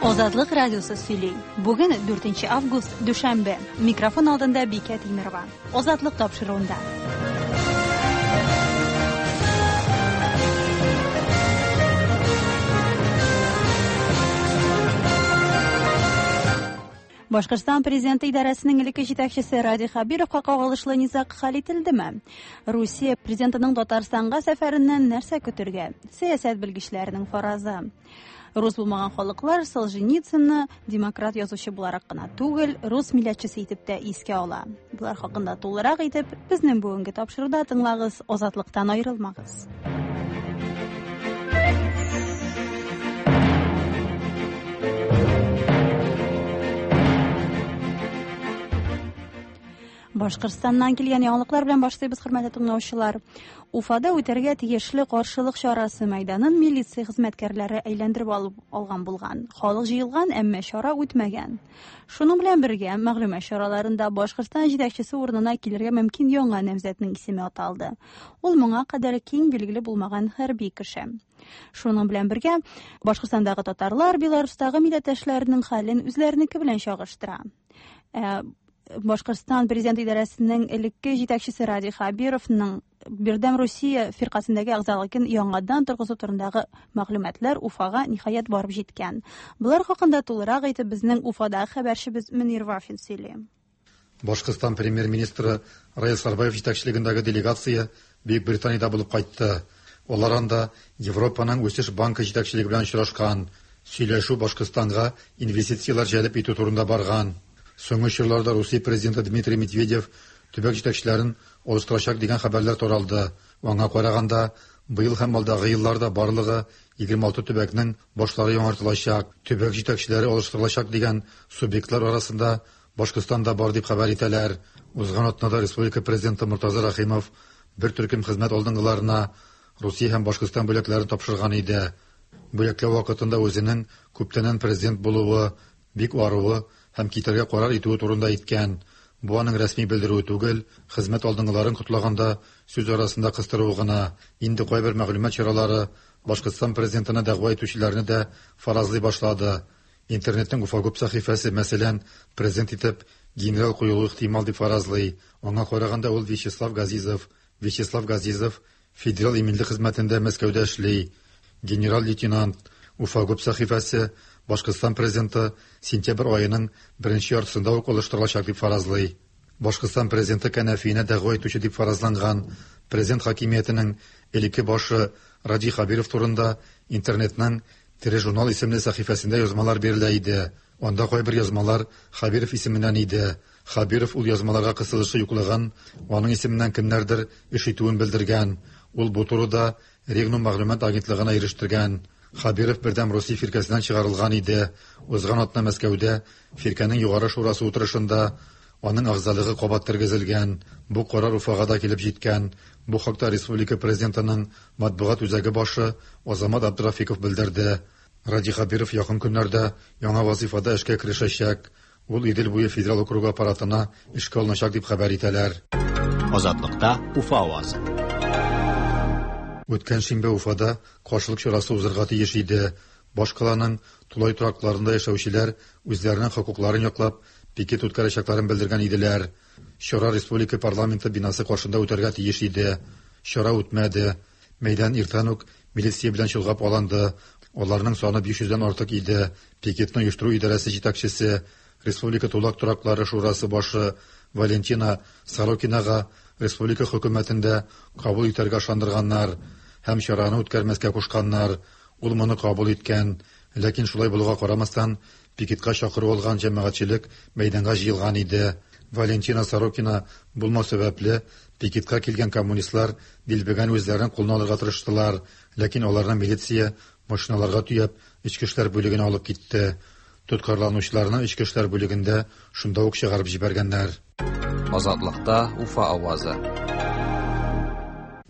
Азатлык радиосы сөйли. Бүген 4 август, дүшәмбе. Микрофон алдында Бикә Тимирова. Азатлык тапшыруында. Башкортстан президенты идарәсенең элекке җитәкчесе Радий Хәбировка кагылышлы низаг хәл ителдеме? Русия президентының Татарстанга сәфәреннән нәрсә көтергә? Сәясәт белгечләренең фаразы. Рус булмаган халыклар Солженицынны демократ язучы буларак кына түгел, рус милләтчесе итеп тә искә ала. Болар хакында тулырак итеп безнең бүгенге тапшыруда тыңлагыз, Азатлыктан аерылмагыз. Башкортстаннан килгән яңалыклар белән башлыйбыз, хөрмәтле тыңлаучылар. Уфада үтәргә тиешле каршылык чарасы мәйданын милиция хезмәткәрләре әйләндереп алып алган булган. Халык җыелган, әмма чара үтмәгән. Шуның белән бергә мәгълүмат чараларында Башкортстан җитәкчесе урынына килергә мөмкин яңа намзәтнең исеме аталды. Ул моңа кадәр киң билгеле булмаган хәрби кеше. Шуның белән бергә Башкортстандагы татарлар Беларустагы милләттәшләренең хәлен үзләренеке белән чагыштыра. Башкортстан президент идарәсенең элекке җитәкчесе Радий Хәбировның Бердәм Русия фиркасендәге әгъзалыгын яңадан торгызу турындагы мәгълүматлар Уфага ниһаять барып җиткән. Болар хакында тулырак итеп безнең Уфадагы хәбәрчебез Мөнир Вафин сөйли. Башкортстан премьер-министры Раил Сарбаев җитәкчелегендәге делегация Бөек Британиядә булып кайтты. Алар анда Европаның үсеш банкы җитәкчелеге белән очрашкан. Сөйләшү Башкортстанга инвестицияләр җәлеп итү турында барган. Соңгы чорларда Русия президенты Дмитрий Медведев төбәк җитәкчеләрен алыштырачак дигән хәбәрләр таралды. Аңа караганда, быел һәм алдагы елларда барлыгы 26 төбәкнең башлары яңартылачак, төбәк җитәкчеләре алыштырылачак дигән субъектлар арасында Башкортстан да бар дип хәбәр итәләр. Узган атнада республика президенты Мортаза Рәхимов бер төркем хезмәт алдынгыларына Русия һәм Башкортстан бүләкләрен тапшырган иде. Бүләкләү вакытында үзенең күптәннән президент булуы, бик аруы һәм китәргә карар итүе турында әйткән. Бу аның рәсми белдерүе түгел, хезмәт алдынгыларын котлаганда сүз арасында кыстыруы гына. Инде кайбер мәгълүмат чаралары Башкортстан президентына дәгъва итүчеләрне дә фаразлый башлады. Интернетның Уфагуб сәхифәсе, мәсәлән, президент итеп генерал куелуы ихтимал дип фаразлый. Аңа караганда ул Вячеслав Газизов. Вячеслав Газизов Федераль иминлек хезмәтендә Мәскәүдә эшли. Генерал-лейтенант. Уфагуб сәхифәсе Башкортстан президенты сентябрь аеның беренче яртысында ук алыштырылачак дип фаразлый. Башкортстан президенты кәнәфиенә дәгъва итүче дип фаразланган президент хакимиятенең элекке башы Радий Хәбиров турында интернетның Тере журнал исемле сәхифәсендә язмалар бирелә иде. Анда кайбер язмалар Хәбиров исеменнән иде. Хәбиров ул язмаларга кысылышы юклыгын, аның исеменнән кемнәрдер эш итүен белдергән. Ул бу турыда Регнум мәгълүмат агентлыгына ирештергән. Хәбиров Бердәм Русия фиркәсеннән чыгарылган иде. Узган атна Мәскәүдә фиркәнең югары шурасы утырышында аның әгъзалыгы кабат тергезелгән. Бу карар Уфага да килеп җиткән. Бу хакта республика президентының матбугат үзәге башы Азамат Абдрафиков белдерде. Радий Хәбиров якын көннәрдә яңа вазифада эшкә керешәчәк. Ул Идел буе федераль округы аппаратына эшкә алыначак дип хәбәр итәләр. Азатлыкта Уфа авазы. Үткән шимбә Уфада каршылык чарасы узырга тиеш иде. Башкаланың тулай торакларында яшәүчеләр үзләренең хокукларын яклап пикет үткәрәчәкләрен белдергән иделәр. Чара республика парламенты бинасы каршында үтәргә тиеш иде. Чара үтмәде. Мәйдан иртән үк милиция белән чолгап алынды. Аларның саны 500дән артык иде. Пикетны оештыру идарәсе җитәкчесе, Республика тулак тораклары шурасы башы Валентина Сорокинага республика хөкүмәтендә кабул итәргә ышандырганнар һәм чараны үткәрмәскә кушканнар. Ул моны кабул иткән. Ләкин шулай булуга карамастан, пикетка чакыру алган җәмәгатьчелек мәйданга җыелган иде. Валентина Сорокина булмау сәбәпле, пикетка килгән коммунистлар дилбегәне үзләренең кулына алырга тырыштылар, ләкин аларны милиция машиналарга төяп, эчке эшләр бүлегенә алып китте. Тоткарланучыларны эчке эшләр бүлегендә шунда ук чыгарып җибәргәннәр. Азатлыкта Уфа авазы.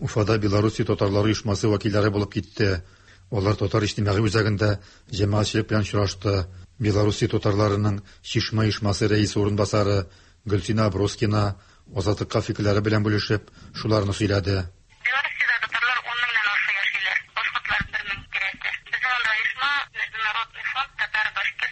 Уфада Белоруссия татарлары оешмасы вәкилләре булып китте. Алар татар иҗтимагый үзәгендә җәмәгатьчелек белән очрашты. Белоруссия татарларының Чишмә оешмасы рәисе урынбасары Гөлсинә Аброскина Азатлыкка фикерләре белән бүлешеп, шуларны сөйләде. Белоруссиядә татарлар ун меңнән аша яшиләр, башкортлар бер мең тирәсе. Безнең анда оешма, Международный фонд татар-башкир.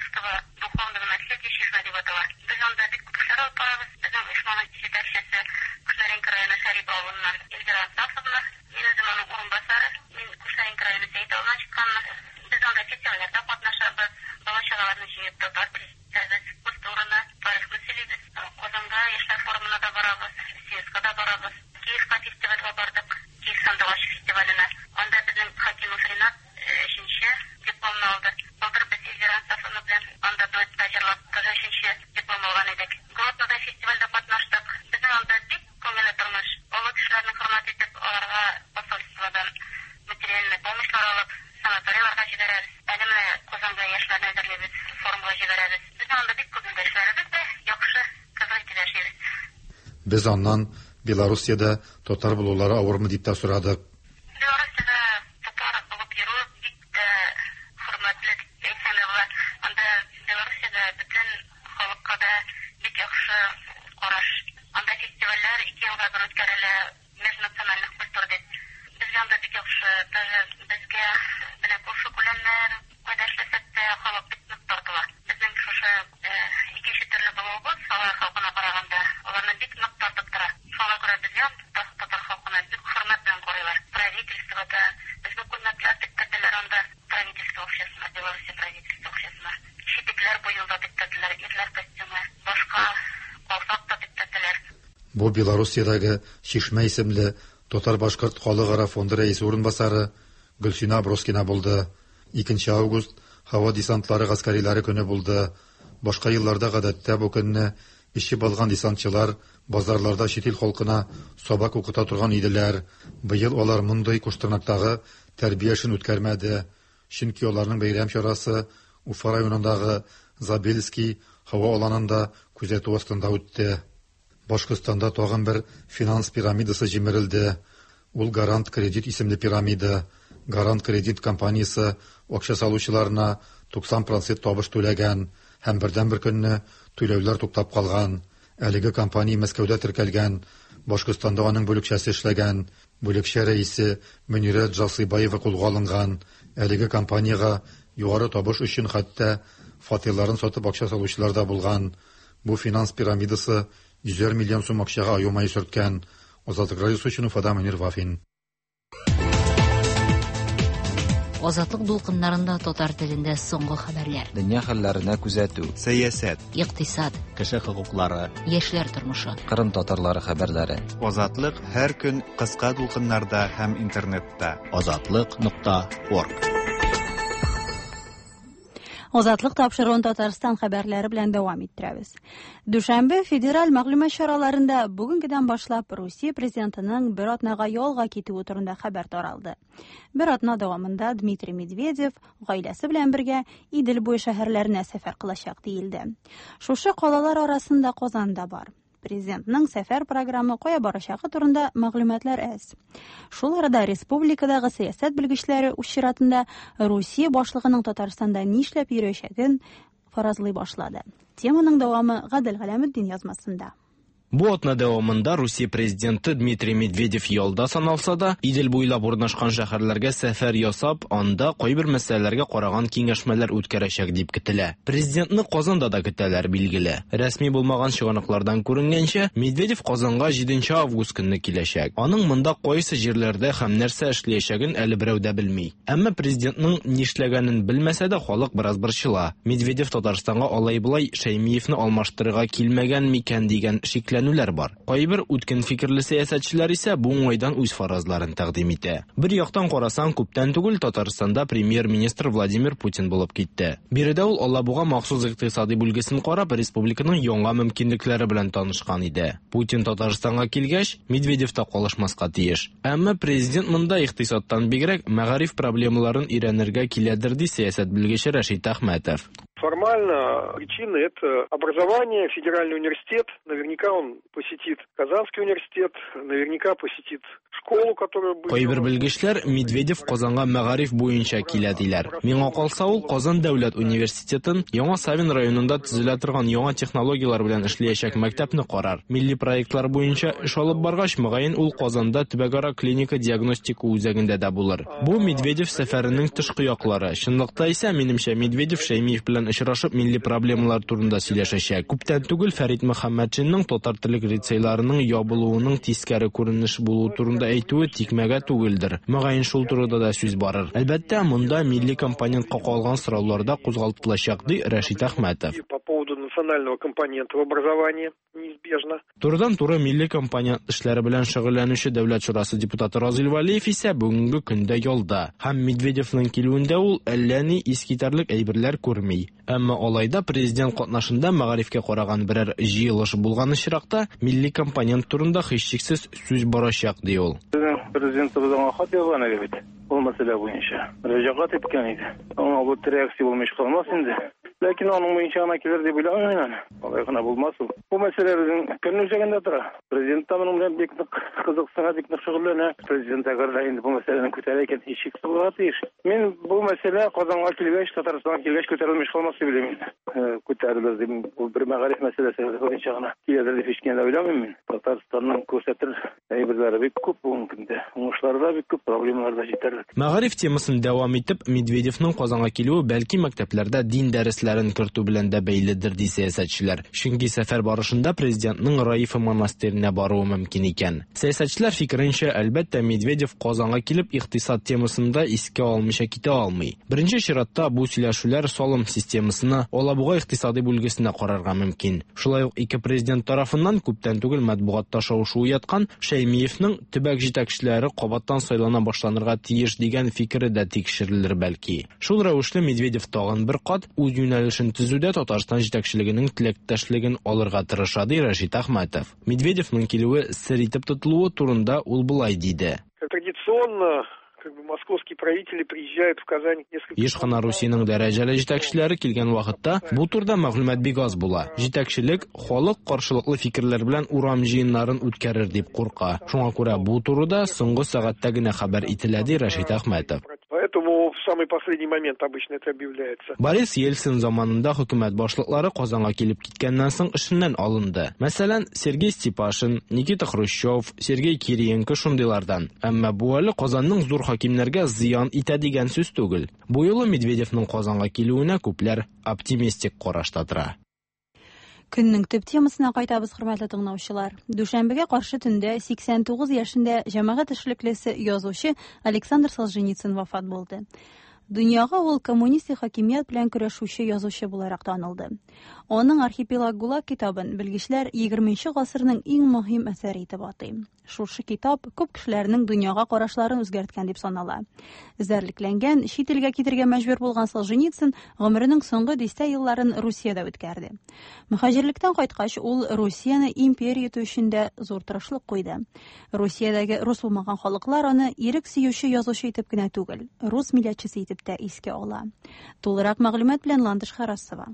җибәрәбез. Әле менә Казанга яшьләрне әзерлибез, форумга җибәрәбез. Безнең анда бик күп көндәшләребез дә, яхшы, кызык итеп яшибез. Без аннан Белоруссиядә татар булулары авырмы дип тә сорадык. Белоруссиядә татар булып йөрү бик тә хөрмәтле дип әйтсәң дә була. Анда Белоруссиядә бөтен халыкка да бик яхшы караш. Анда фестивальләр ике елга бер үткәрелә, межнациональных культур дип. Безгә анда бик яхшы, даже безгә менә күрше-күләннәр, кайда эшләсәк тә, халык бик нык тартыла. Безнең шушы икенче төрле булуыбыз, алар халкына караганда, аларны бик нык тартып тора. Шуңа күрә безгә анда татар халкына бик хөрмәт белән карыйлар. Правительство да, безгә күлмәкләр тектерделәр анда, правительство акчасына, Белоруссия правительство акчасына. Читекләр быел да тектерделәр, ирләр костюмы, башка калфак та тектерделәр. Бу Белоруссиядәге Чишмә исемле татар-башкорт халыкара фонды рәисе урынбасары Гөлсинә Аброскина булды. 2 август һава десантлары гаскәриләре көне булды. Башка елларда гадәттә бу көнне эчеп алган десантчылар базарларда чит ил халкына сабак укыта торган иделәр. Быел алар мондый куштырнактагы тәрбия эшен үткәрмәде, чөнки аларның бәйрәм чарасы Уфа районындагы Забельский һава аланында күзәтү астында үтте. Башкортстанда тагын бер финанс пирамидасы җимерелде. Ул Гарант Кредит исемле пирамида. Гарант Кредит компаниясе акча салучыларына 90 процент табыш түләгән һәм бердәнбер көнне түләүләр туктап калган. Әлеге компания Мәскәүдә теркәлгән, Башкортстанда аның бүлекчәсе эшләгән. Бүлекчә рәисе Мөнирә Джасыйбаева кулга алынган. Әлеге компаниягә югары табыш өчен хәтта фатирларын сатып акча салучылар да булган. Бу финанс пирамидасы йөзәр миллион сум акчага аю мае сөрткән. Азатлык радиосы өчен Уфадан Мөнир Вафин. Азатлык дулкыннарында татар телендә соңгы хәбәрләр. Дөнья хәлләренә күзәтү. Сәясәт. Икътисад. Кеше хокуклары. Яшьләр тормышы. Кырым татарлары хәбәрләре. Азатлык һәр көн кыска дулкыннарда һәм интернетта. Азатлык нокта орг. Азатлык тапшыруын Татарстан хәбәрләре белән дәвам иттерәбез. Дүшәмбе федераль мәгълүмат чараларында бүгенгедән башлап Русия президентының бер атнага ялга китүе турында хәбәр таралды. Бер атна дәвамында Дмитрий Медведев гаиләсе белән бергә Идел буе шәһәрләренә сәфәр кылачак диелде. Шушы калалар арасында Казан да бар. Президентның сәфәр програмы кая барачагы турында мәгълүматлар әз. Шул арада республикадагы сәясәт белгечләре үз чиратында Русия башлыгының Татарстанда нишләп йөрәчәген фаразлый башлады. Теманың дәвамы Гадел Галәметдин язмасында. Бу атна дәвамында Русия президенты Дмитрий Медведев ялда саналса да, Идел буйлап урнашкан шәһәрләргә сәфәр ясап, анда кайбер мәсьәләләргә караган киңәшмәләр үткәрәчәк дип көтелә. Президентны Казанда да көтәләр, билгеле. Рәсми булмаган чыганаклардан күренгәнчә, Медведев Казанга 7 август көнне киләчәк. Аның монда кайсы җирләрдә һәм нәрсә эшләячәген әле берәү дә белми. Әмма президентның нишләгәнен белмәсә дә, халык бераз борчыла. Медведев Татарстанга алай-болай Шәймиевне алмаштырырга килмәгән микән дигән шикләнүләр бар. Кайбер үткен фикерле сәясәтчеләр исә бу уңайдан үз фаразларын тәкъдим итә. Бер яктан карасаң, күптән түгел Татарстанда премьер-министр Владимир Путин булып китте. Биредә ул Алабуга махсус икътисади бүлгесен карап, республиканың яңа мөмкинлекләре белән танышкан иде. Путин Татарстанга килгәч, Медведев та калышмаска тиеш. Әмма президент монда икътисадтан бигрәк мәгариф проблемаларын өйрәнергә киләдер, ди сәясәт белгече Рәшит Әхмәтов. Формально причина это образование, федеральный университет. Наверняка он посетит Казанский университет, наверняка посетит школу, которая будет... Кайбер белгечләр Медведев Казанга мәгариф буенча килә диләр. Миңа калса, ул Казан дәүләт университетын Яңа Савин районында төзелә торган яңа технологияләр белән эшләячәк мәктәпне карар. Милли проектлар буенча эш алып баргач, мөгаен ул Казанда төбәкара клиника диагностика үзәгендә дә булыр. Бу Медведев сәфәренең тышкы яклары. Чынлыкта исә, минемчә, Медведев Шәймиев белән очрашып милли проблемалар турында сөйләшәчәк. Күптән түгел Фәрит Мөхәммәтшинның татар теле лицейларының ябылуының тискәре күренеш булуы турында әйтүе тикмәгә түгелдер. Мөгаен шул турыда да сүз барыр. Әлбәттә, монда милли компонентка калган сораулар да кузгалтылачак, ди Рәшит Әхмәтов. По поводу национального компонента в образовании, неизбежно. Турыдан-туры милли компонент эшләре белән шөгыльләнүче Дәүләт шурасы депутаты Разил Вәлиев исә бүгенге көндә ялда һәм Медведевның килүендә ул әллә ни искитәрлек әйберләр күрми. Әмма алай да президент катнашында мәгарифкә караган берәр җыелыш булган очракта милли компонент турында һичшиксез сүз барачак, ди ул. Безнең президентыбыз аңа хат язган иде бит, ул мәсьәлә буенча. Мөрәҗәгать иткән иде. Аңа бу реакция булмыйча калмас инде. Ләкин аның буенча гына килер дип уйламыйм мин аны. Алай гына булмас ул. Бу мәсьәлә безнең көн үзәгендә тора. Президент та моның белән бик нык кызыксына, бик нык шөгыльләнә. Президент әгәр дә инде бу мәсьәләне күтәрә икән, һичшиксез булырга тиеш. Мин бу мәсьәлә Казанга килгәч, Татарстанга килгәч күтәрелмеш калмас дип уйлыйм инде. Күтәрелер дип, бу бер мәгариф мәсьәләсе буенча гына киләдер дип һич кенә дә уйламыйм мин. Татарстанның күрсәтер әйберләре бик күп бүгенге көндә. Уңышлары да бик күп, проблемалары да җитәрлек. Мәгариф темасын дәвам итеп, Медведевның Казанга килүе бәлки мәктәпләрдә дин дәресләрен кертү белән дә бәйледер, ди сәясәтчеләр. Чөнки сәфәр барышында президентның Раифа монастыренә баруы мөмкин икән. Сәясәтчеләр фикеренчә, әлбәттә, Медведев Казанга килеп икътисад темасын да искә алмыйча китә алмый. Беренче чиратта бу сөйләшүләр салым системасына, Алабуга икътисадый бүлгесенә карарга мөмкин. Шулай ук ике президент тарафыннан күптән түгел матбугатта шау-шу уяткан Шәймиевның төбәк җитәкчеләре кабаттан сайлана башланырга тиеш дигән фикере дә тикшерелер бәлки. Шул рәвешле Медведев тагын бер кат үз юнәлешен төзүдә Татарстан җитәкчелегенең теләктәшлеген алырга тырыша, ди Рәшит Әхмәтов. Медведевның килүе сер итеп тотылуы турында ул болай диде. Традиционно как бы московские правители приезжают в Казань несколько... Еш кына Русиянең дәрәҗәле җитәкчеләре килгән вакытта бу турыда мәгълүмат бик аз була. Җитәкчелек халык каршылыклы фикерләр белән урам җыеннарын үткәрер дип курка. Шуңа күрә бу турыда соңгы сәгатьтә генә хәбәр ителә, ди Рәшит Әхмәтов. Поэтому в самый последний момент обычно это объявляется. Борис Ельцин заманында хөкүмәт башлыклары Казанга килеп киткәннән соң эшеннән алынды. Мәсәлән, Сергей Степашин, Никита Хрущев, Сергей Кириенко шундыйлардан. Әмма бу әле Казанның зур хакимнәргә зыян итә дигән сүз түгел. Бу юлы Медведевның Казанга килүенә күпләр оптимистик карашта тора. Көннең төп темасына кайтабыз, хөрмәтле тыңлаучылар. Дүшәмбегә каршы төндә 89 яшендә җәмәгать эшлеклесе, язучы Александр Солженицын вафат булды. Дөньяга ул коммунистик хакимият белән көрәшүче язучы буларак танылды. Аның Архипелаг ГУЛАГ китабын белгечләр 20 гасырның иң мөһим әсәре итеп атый. Шушы китап күп кешеләрнең дөньяга карашларын үзгәрткән дип санала. Эзәрлекләнгән, чит илгә китергә мәҗбүр булган Солженицын гомеренең соңгы дистә елларын Русиядә үткәрде. Мөхаҗирлектән кайткач, ул Русияне империя итү өчен дә зур тырышлык куйды. Русиядәге рус булмаган халыклар аны ирек сөюче язучы итеп кенә түгел, рус милләтчесе итеп тә искә ала. Тулырак мәгълүмат белән Ландыш Харасова.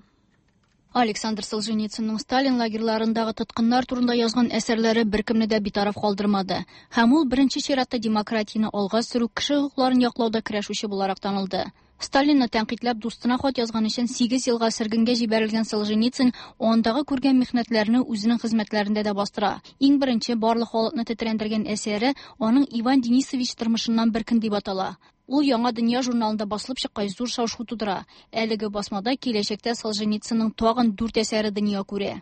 Александр Солженицынның Сталин лагерьларындагы тоткыннар турында язган әсәрләре беркемне дә битараф калдырмады. Һәм ул беренче чиратта демократияне алга сөрү, кеше хокукларын яклауда көрәшүче буларак танылды. Сталинны тәнкыйтьләп дустына хат язган өчен 8 елга сөргенгә җибәрелгән Солженицын андагы күргән михнәтләрне үзенең хезмәтләрендә дә бастыра. Иң беренче барлык халыкны тетрәндергән әсәре аның Иван Денисович тормышыннан бер көн дип атала. Ул Яңа дөнья журналында басылып чыккач зур шау-шу тудыра. Әлеге басмада киләчәктә Солженицынның тагын 4 әсәре дөнья күрә.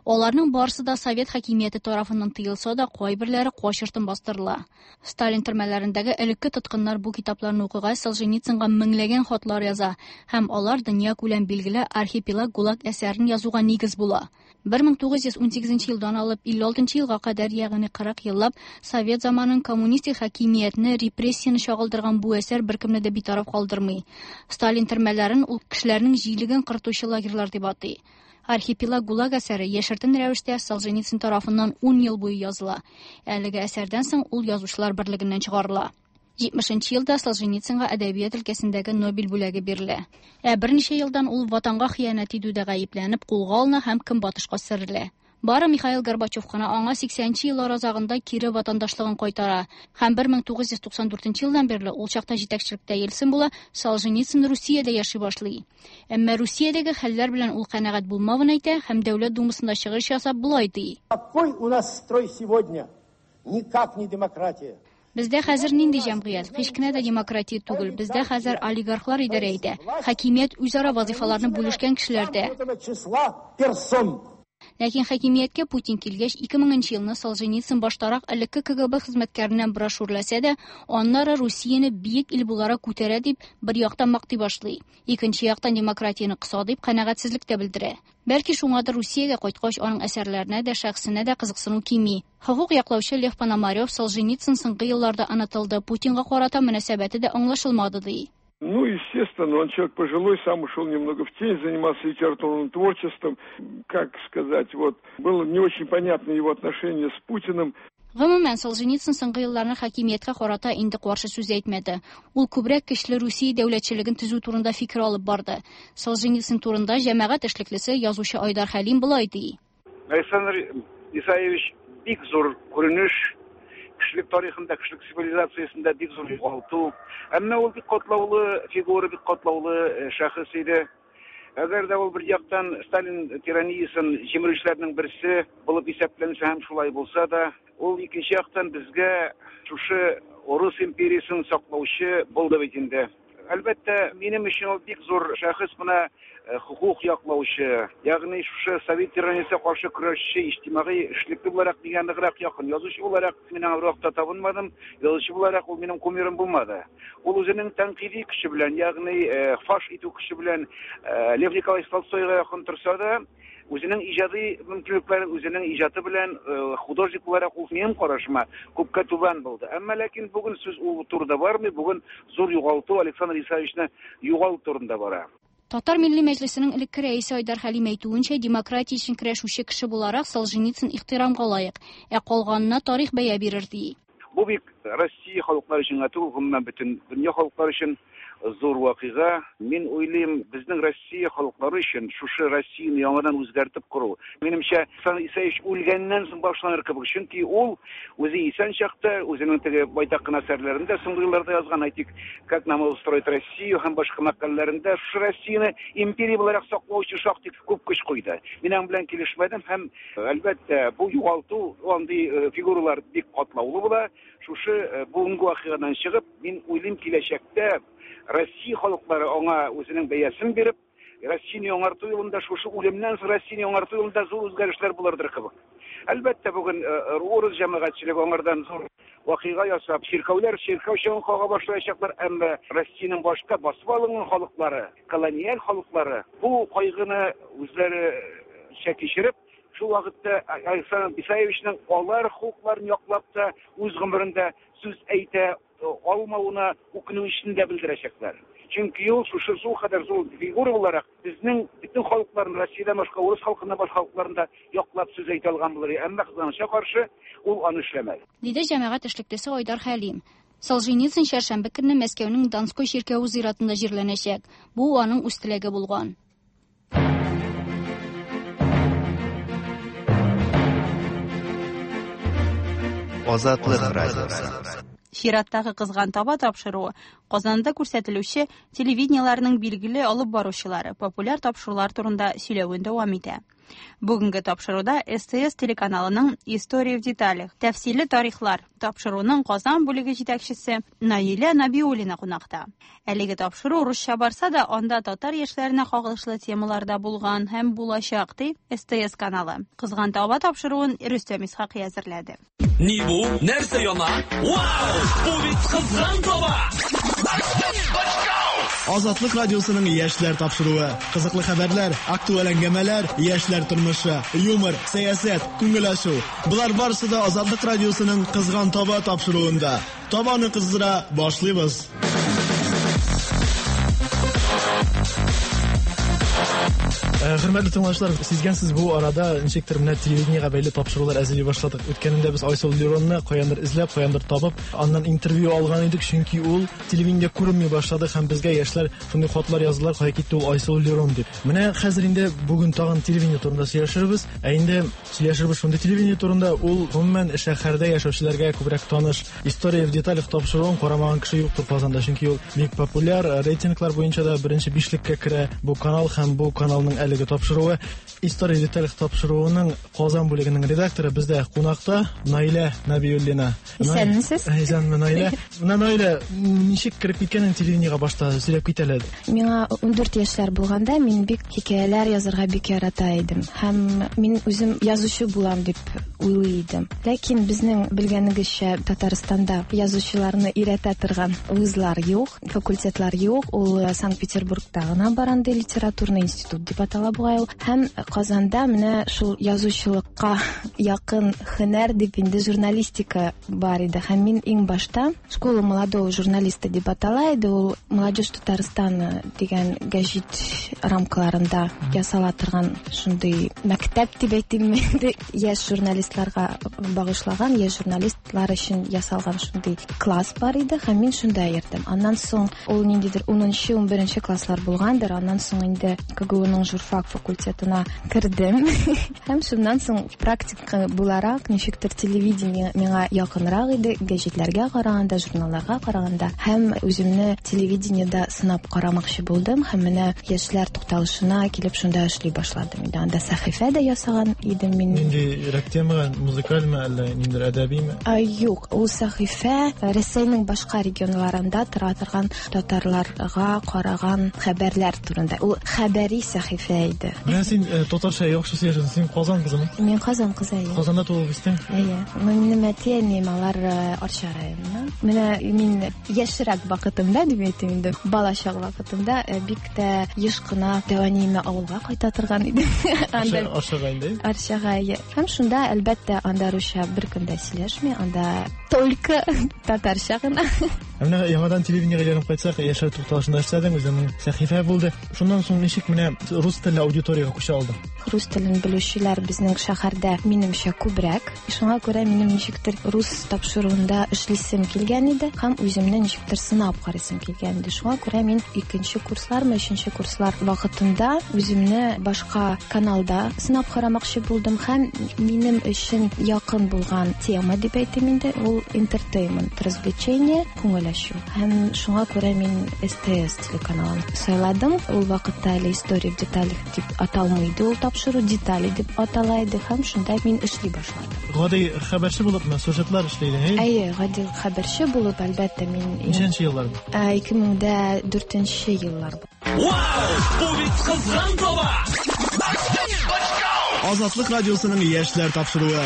Аларның барысы да совет хакимияте тарафыннан тыелса да, кайберләре качыртын бастырыла. Сталин төрмәләрендәге элекке тоткыннар бу китапларны укыгач Солженицынга меңләгән хатлар яза һәм алар дөнья күләм билгеле Архипелаг ГУЛАГ әсәрен язуга нигез була. 1918 елдан алып 56 елга кадәр, ягъни 40 еллап совет заманын коммунистик хакимиятне, репрессияне чагылдырган бу әсәр беркемне дә битараф калдырмый. Сталин төрмәләрен ул кешеләрнең җилеген кыртучы лагерьлар дип атый. Архипелаг ГУЛАГ әсәре яшертен рәвештә Солженицын тарафыннан 10 ел буе языла. Әлеге әсәрдән соң ул язучылар берлегеннән чыгарыла. 70 елда Солженицынга әдәбият өлкәсендәге Нобель бүләге бирелә. Ә берничә елдан ул ватанга хыянәт итүдә гаепләнеп кулга алына һәм көнбатышка сөрелә. Бары Михаил Горбачев кына аңа 80 еллар азагында кире ватандашлыгын кайтара һәм 1994 елдан бирле ул чакта җитәкчелектә Ельцин була, Солженицын Русиядә яши башлый. Әмма Русиядәге хәлләр белән ул канәгать булмавын әйтә һәм Дәүләт Думасында чыгыш ясап болай ди. Какой у нас строй сегодня? Никак не демократия. Бездә хәзер нинди җәмгыять? Һич кенә дә демократия түгел. Бездә хәзер олигархлар идарә итә. Хакимият үзара вазифаларны бүлешкән кешеләрдә. Ләкин хакимияткә Путин килгәч, 2000 нче елны Солженицын баштарак элекке КГБ хезмәткәреннән бераз шүрләсә дә, аннары Русияне биек ил буларак күтәрә дип, бер яктан мактый башлый, икенче яктан демократияне кыса дип канәгатьсезлек тә белдерә. Бәлки шуңадыр Русиягә кайткач аның әсәрләренә дә, шәхесенә дә кызыксыну кими. Хокук яклаучы Лев Пономарев Солженицын соңгы елларда онытылды, Путинга карата мөнәсәбәте дә аңлашылмады ди. Ну, естественно, он человек пожилой, сам ушел немного в тень, занимался литературным творчеством. Как сказать, вот, было не очень понятно его отношение с Путиным. Гомумән, Солженицын соңгы елларны хакимияткә карата инде каршы сүз әйтмәде. Ул күбрәк көчле Русия дәүләтчелеген төзү турында фикер алып барды. Солженицын турында җәмәгать эшлеклесе, язучы Айдар Хәлим болай ди. Александр Исаевич бик зур күренеш, кешелек тарихында, кешелек цивилизациясендә бик зур югалту. Әмма ул бик катлаулы фигура, бик катлаулы э, шәхес иде. Әгәр дә ул бер яктан Сталин тираниясен җимерүчеләрнең берсе булып исәпләнсә һәм шулай булса да, ул икенче яктан безгә шушы Урыс империясен саклаучы булды бит инде. Әлбәттә, минем өчен ул бик зур шәхес, менә э, хокук яклаучы, ягъни шушы совет тираниясенә каршы көрәшче, иҗтимагый эшлекле буларак миңа ныграк якын. Язучы буларак мин аңа бервакытта табынмадым, язучы буларак ул минем кумирым булмады. Ул үзенең тәнкыйди көче белән, ягъни э, фаш итү көче белән э, Лев Николаевич Толстойга якын торса да, Үзенең иҗади мөмкинлекләре, үзенең иҗаты белән э, художник буларак ул минем карашыма күпкә түбән булды. Әмма ләкин бүген сүз ул турыда бармый, бүген зур югалту Александр Исаевичны югалту турында бара. Татар Милли Мәҗлесенең элекке рәисе Айдар Хәлим әйтүенчә, демократия өчен көрәшүче кеше буларак Солженицын ихтирамга лаек, ә калганына тарих бәя бирер, ди. Бу бик Россия халыклары өчен генә түгел, гомумән бөтен дөнья халыклары өчен зур вакыйга. Мин уйлыйм, безнең Россия халыклары өчен шушы Россияне яңадан үзгәртеп кору, минемчә, Александр Исаевич үлгәннән соң башланыр кебек. Чөнки ул үзе исән чакта үзенең теге байтак кына әсәрләрендә соңгы елларда язган, әйтик, Как нам устроить Россию һәм башка мәкаләләрендә шушы Россияне империя буларак саклау өчен шактый күп көч куйды. Мин аның белән килешмәдем һәм Әлбәттә, бу югалту, андый э, фигуралар бик катлаулы була. Шушы э, бүгенге вакыйгадан чыгып, мин уйлыйм, киләчәктә Россия халыклары аңа үзенең бәясен биреп, Россияне яңарту юлында, шушы үлемнән соң Россияне яңарту юлында зур үзгәрешләр булырдыр кебек. Әлбәттә, бүген э, урыс җәмәгатьчелеге аңардан зур вакыйга ясап, чиркәүләр чиркәү чаңын кага башлаячаклар, әмма Россиянең башка басып алынган халыклары, колониаль халыклары бу кайгыны үзләренчә кичереп, шул вакытта Александр Исаевичның алар хокукларын яклап та үз гомерендә сүз әйтә алмавына үкенү дә белдерәчәкләр. Чөнки ул шушы зур кадәр зур фигура буларак безнең бөтен халыкларны, Россиядән башка, урыс халкыннан башка халыкларны да яклап сүз әйтә алган булыр иде. Әмма кызганычка каршы, ул аны эшләмәде. Диде җәмәгать эшлеклесе Айдар Хәлим. Солженицын чәршәмбе көнне Мәскәүнең Донской чиркәве зиратында җирләнәчәк. Бу аның үз теләге булган. Азатлык радиосы. Чираттагы Кызган таба тапшыруы Казанда күрсәтелүче телевидениеләрнең билгеле алып баручылары популяр тапшырулар турында сөйләвен дәвам итә. Бүгенге тапшыруда СТС телеканалының История в деталях, тәфсилле тарихлар тапшыруының Казан бүлеге җитәкчесе Наилә Набиуллина кунакта. Әлеге тапшыру русча барса да, анда татар яшьләренә кагылышлы темалар да булган һәм булачак, ди СТС каналы. Кызган таба тапшыруын Рөстәм Исхакый әзерләде. Ни бу? Нәрсә яна? Вау! Бу бит кызган таба! Азатлык радиосының яшьләр тапшыруы. Кызыклы хәбәрләр, актуаль әңгәмәләр, яшьләр тормышы, юмор, сәясәт, күңел ачу. Болар барысы да Азатлык радиосының Кызган таба тапшыруында. Табаны кыздыра башлыйбыз. Э, хөрмәтле тыңлаучылар, сизгәнсез бу арада ничектер менә телевидениегә бәйле тапшырулар әзерли башладык. Үткәнендә без Айсыл Леронны каяндыр эзләп, каяндыр табып, аннан интервью алган идек, чөнки ул телевидениедә күренми башлады һәм безгә яшьләр шундый хатлар яздылар, кая китте ул Айсыл Лерон дип. Менә хәзер инде бүген тагын телевидение турында сөйләшербез. Ә инде сөйләшербез шундый телевидение турында, ул гомумән шәһәрдә яшәүчеләргә күбрәк таныш. История в деталях тапшыруын карамаган кеше юктыр Казанда, чөнки ул бик популяр, рейтинглар буенча да беренче бишлеккә керә бу канал һәм бу каналның әлеге бүлеге тапшыруы. История в деталях тапшыруының Казан бүлегенең редакторы бездә кунакта Наилә Нәбиуллина. Исәнмесез. Исәнме, Наилә. Менә Наилә, ничек кереп киткәнен телевидениегә башта сөйләп кит әле. Миңа 14 яшьләр булганда мин бик хикәяләр язарга бик ярата идем. Һәм мин үзем язучы булам дип уйлый идем. Ләкин безнең белгәнегезчә Татарстанда язучыларны өйрәтә торган вузлар юк, факультетлар юк. Ул э, Санкт-Петербургта гына бар андый литературный институт дип атала бугай ул. Һәм Казанда менә шул язучылыкка якын һөнәр дип инде журналистика бар иде. Һәм мин иң башта Школа молодого журналиста дип атала иде. Ул Молодежь Татарстана дигән гәҗит рамкаларында ясала торган шундый мәктәп дип әйтимме инде. Яшь журналистларга багышлаган, яшь журналистлар өчен ясалган шундый класс бар иде һәм мин шунда йөрдем. Аннан соң ул ниндидер 10-нчы, 11-нче класслар булгандыр. Аннан соң инде КГУның журфак факультетына кердем. Һәм шуннан соң практика буларак ничектер телевидение миңа якынрак иде, гәҗитләргә караганда, журналларга караганда. Һәм үземне телевидениедә сынап карамакчы булдым һәм менә яшьләр тукталышына килеп шунда эшли башладым. Инде анда сәхифә дә ясаган идем мин. Ниндирәк темага, музыкальмы әллә ниндидер әдәбиме? Юк, ул сәхифә Рәсәйнең башка регионнарында тора торган татарларга караган хәбәрләр турында. Ул хәбәри сәхифә иде. Менә син э, татарча яхшы сөйләшәсең. Син Казан кызымы? Мин Казан кызы, әйе. Казанда туып үстең? Әйе. Минем әти-әнием алар э, Арча районыннан. Менә мин яшьрәк вакытымда дип әйтим инде, балачак вакытымда э, бик тә еш кына дәү әниемә авылга кайта торган идем. Анда Арчага инде. Арчага, әйе. Һәм шунда, әлбәттә, анда русча беркем дә сөйләшми, анда только татарча гына. Ә менә яңадан телевидениегә әйләнеп кайтсак, яшәү тукталышында эшләдең, үзеңнең сәхифә булды. Шуннан соң ничек менә рус телле аудиториягә күчә алдың? Рус телен белүчеләр безнең шәһәрдә, минемчә, күбрәк. Шуңа күрә минем ничектер рус тапшыруында эшлисем килгән иде һәм үземне ничектер сынап карыйсым килгән иде. Шуңа күрә мин икенче курслармы, өченче курслар вакытында үземне башка каналда сынап карамакчы булдым һәм минем өчен якын булган тема дип әйтим инде, ул entertainment, развлечение, күңел ачу. Һәм шуңа күрә мин СТС телеканалын сайладым. Ул вакытта әле История в деталях дип аталмый иде ул тапшыру, детали дип атала иде һәм шунда мин эшли башладым. Гади хәбәрче булыпмы, сюжетлар эшли идең, әйе? Әйе, гади хәбәрче булып, әлбәттә, мин Ничәнче еллар бу? 2004 еллар. Вау! Бу бит кызган таба! Азатлык радиосының яшьләр тапшыруы.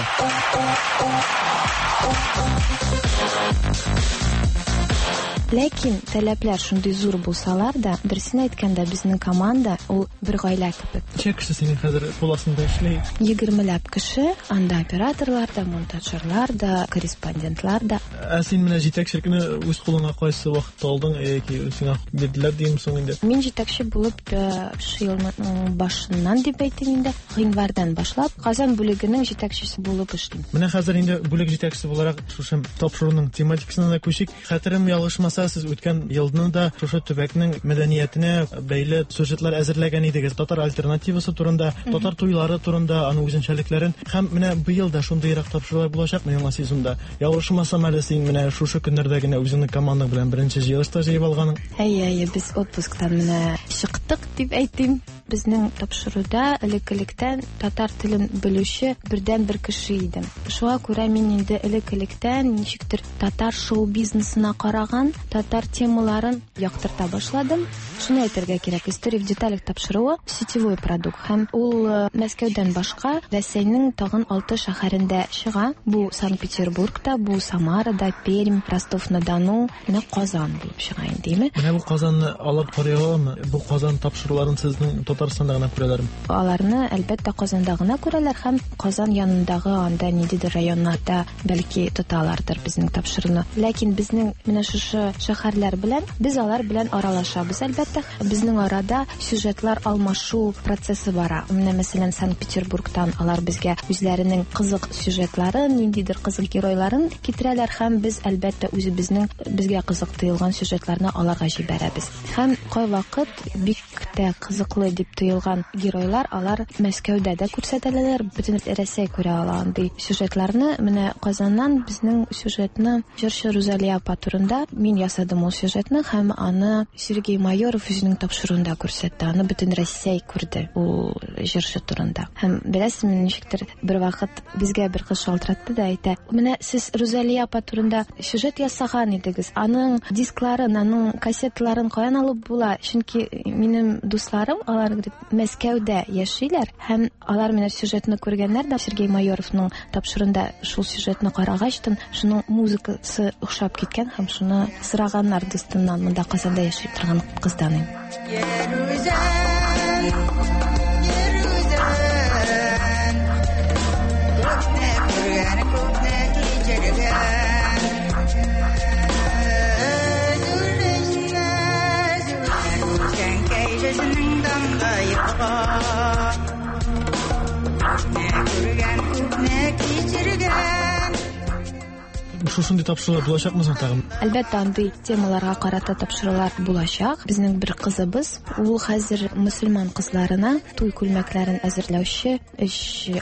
Ләкин таләпләр шундый зур булсалар да, дөресен әйткәндә, безнең команда ул бер гаилә кебек. Ничә кеше синең хәзер кул астында эшли? Егермеләп кеше, анда операторлар да, монтажерлар да, корреспондентлар да. Ә син менә җитәкчелекне үз кулыңа кайсы вакытта алдың, яки сиңа бирделәр димме соң инде? Мин җитәкче булып шушы елның башыннан дип әйтим инде, гыйнвардан башлап Казан бүлегенең җитәкчесе булып эшлим. Менә хәзер инде бүлек җитәкчесе буларак шушы тапшыруның тематикасына да күчик. Хәтерем ялгышмаса, сез үткән елны да шушы төбәкнең мәдәниятенә бәйле сюжетлар әзерләгән идегез. Татар альтернативасы турында, татар туйлары турында, аның үзенчәлекләрен. Һәм менә быел да шундыйрак тапшырулар булачакмы яңа сезонда? Ялгышмасам әле син менә шушы көннәрдә генә үзеңнең командаң белән беренче җыелыш та җыеп алганың. Әйе, әйе, без отпусктан менә чыктык дип әйтим. Безнең тапшыруда элек-электән татар телен белүче бердәнбер кеше идем. Шуңа күрә мин инде элек-электән ничектер татар шоу-бизнесына караган татар темаларын яктырта башладым. Шуны әйтергә кирәк, История в деталях тапшыруы сетевой продукт һәм ул э, Мәскәүдән башка Рәсәйнең тагын алты шәһәрендә чыга. Бу Санкт-Петербургта, бу Самарада, Пермь, Ростов-на-Дону, менә Казан булып чыга инде, әйме? Менә бу Казанны алар карый аламы? Бу Казан тапшыруларын сезнең Татарстанда гына күрәләрме? Аларны, әлбәттә, Казанда гына күрәләр һәм Казан янындагы анда ниндидер районнарда бәлки тоталардыр безнең тапшыруны. Ләкин безнең менә шушы шәһәрләр белән без алар белән аралашабыз, әлбәттә. Безнең арада сюжетлар алмашу процессы бара. Менә, мәсәлән, Санкт-Петербургтан алар безгә үзләренең кызык сюжетларын, ниндидер кызык геройларын китерәләр һәм без, әлбәттә, үзебезнең безгә кызык тоелган сюжетларны аларга җибәрәбез. Һәм кайвакыт бик тә кызыклы дип дип тоелган геройлар, алар Мәскәүдә дә күрсәтеләләр, бөтен Рәсәй күрә ала андый сюжетларны. Менә Казаннан безнең сюжетны җырчы Рузалия апа турында мин ясадым ул сюжетны һәм аны Сергей Майоров үзенең тапшыруында күрсәтте. Аны бөтен Рәсәй күрде ул җырчы турында. Һәм беләсезме, ничектер бер вакыт безгә бер кыз шалтыратты да әйтә: "Менә сез Рузалия апа турында сюжет ясаган идегез. Аның дискларын, аның кассеталарын каян алып була? Чөнки минем дусларым, алар говорит, Мәскәүдә яшиләр һәм алар менә сюжетны күргәннәр дә Сергей Майоровның тапшыруында шул сюжетны карагачтын, шуның музыкасы охшап киткән һәм шуны сораганнар дустыннан, монда Казанда яши торган кыздан. Шушындый тапшырулар булачакмы соң тагын? Әлбәттә, андый темаларга карата тапшырулар булачак. Безнең бер кызыбыз, ул хәзер мөселман кызларына туй күлмәкләрен әзерләүче өч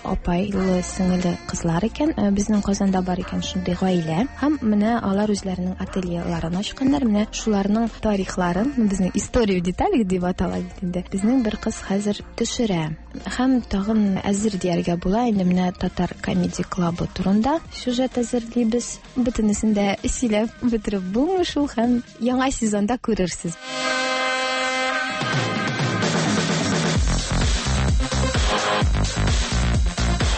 апайлы сеңеле кызлар икән. Безнең Казанда бар икән шундый гаилә. Һәм менә алар үзләренең ательеларын ачканнар. Менә шуларның тарихларын, безнең история в деталях дип атала бит инде. Безнең бер кыз хәзер төшерә. Һәм тагын әзер дияргә була инде менә Татар комеди клабы турында сюжет әзерлибез. Бөтенесен дә сөйләп бетереп булмый шул һәм яңа сезонда күрерсез.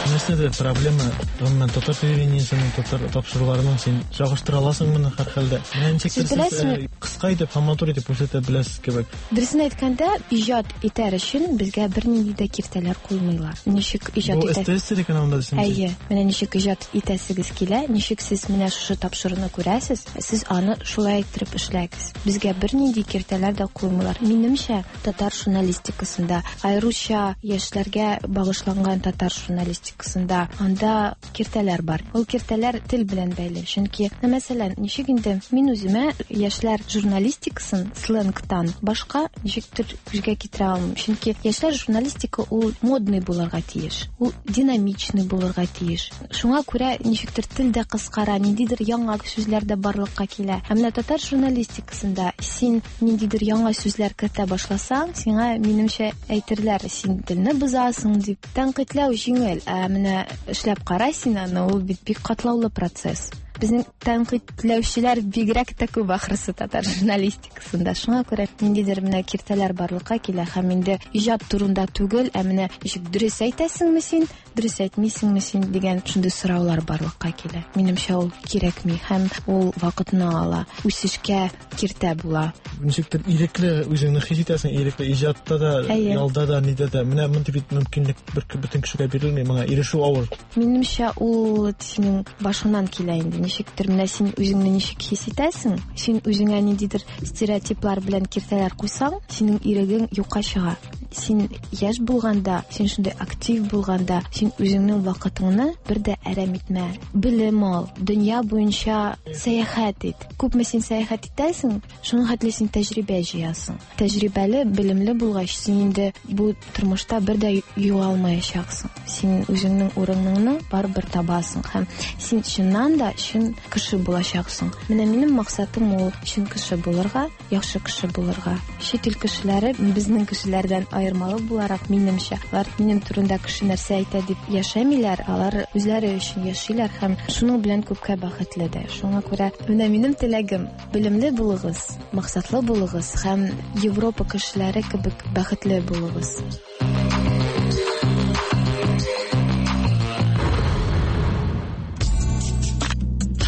Нәрсәдә проблема? Гомумән, татар телевидениесенең, татар тапшыруларының син чагыштыра аласың моны һәрхәлдә. Менә ничектер Сез сез беләсезме? кыска итеп һәм матур итеп күрсәтә беләсез кебек. Дөресен әйткәндә, иҗат итәр өчен безгә бернинди дә киртәләр куймыйлар. Ничек иҗат Бу итә? СТС телеканалында дисеңме? Әйе, менә ничек иҗат итәсегез килә, ничек сез менә шушы тапшыруны күрәсез, сез аны шулай иттереп эшләгез. Безгә бернинди киртәләр дә куймыйлар. Минемчә, татар журналистикасында, аеруча яшьләргә багышланган татар журналистикасында анда киртәләр бар. Ул киртәләр тел белән бәйле. Чөнки, мәсәлән, ничек инде мин үземә яшьләр журналистикасын сленгтан башка ничектер күзгә китерә алмыйм. Чөнки яшьләр журналистика ул модный булырга тиеш, ул динамичный булырга тиеш. Шуңа күрә ничектер тел дә кыскара, ниндидер яңа сүзләр дә барлыкка килә. Ә менә татар журналистикасында син ниндидер яңа сүзләр кертә башласаң, сиңа, минемчә, әйтерләр, син телне бозасың дип. Тәнкыйтьләү җиңел, ә менә эшләп кара син аны, ул бит бик катлаулы процесс. Безнең тәнкыйтьләүчеләр бигрәк тә күп ахрысы татар журналистикасында. Шуңа күрә ниндидер менә киртәләр барлыкка килә һәм инде иҗат турында түгел, ә менә ничек дөрес әйтәсеңме син, дөрес әйтмисеңме син дигән шундый сораулар барлыкка килә. Минемчә, ул кирәкми һәм ул вакытны ала, үсешкә киртә була. Ничектер ирекле үзеңне хис итәсең, ирекле иҗатта да, ялда да, нидә дә. Менә мондый бит мөмкинлек бер бөтен кешегә бирелми, моңа ирешү авыр. Минемчә, ул синең башыңнан килә инде. Ничектер менә син үзеңне ничек хис итәсең, син үзеңә ниндидер стереотиплар белән киртәләр куйсаң, синең ирегең юкка чыга. Син яшь булганда, син шундый актив булганда, син үзеңнең вакытыңны бер дә әрәм итмә. Белем ал, дөнья буенча сәяхәт ит. Күпме син сәяхәт итәсең, шуның хәтле син тәҗрибә җыясың. Тәҗрибәле, белемле булгач, син инде бу тормышта бер дә югалмаячаксың. Син үзеңнең урыныңны барыбер табасың һәм син чыннан да чын кеше булачаксың. Менә минем максатым ул чын кеше булырга, яхшы кеше булырга. Чит ил кешеләре безнең кешеләрдән аермалы буларак, минемчә, алар минем турында кеше нәрсә әйтә дип яшәмиләр, алар үзләре өчен яшиләр һәм шуның белән күпкә бәхетле дә. Шуңа күрә менә минем теләгем: белемле булыгыз, максатлы булыгыз һәм Европа кешеләре кебек бәхетле булыгыз.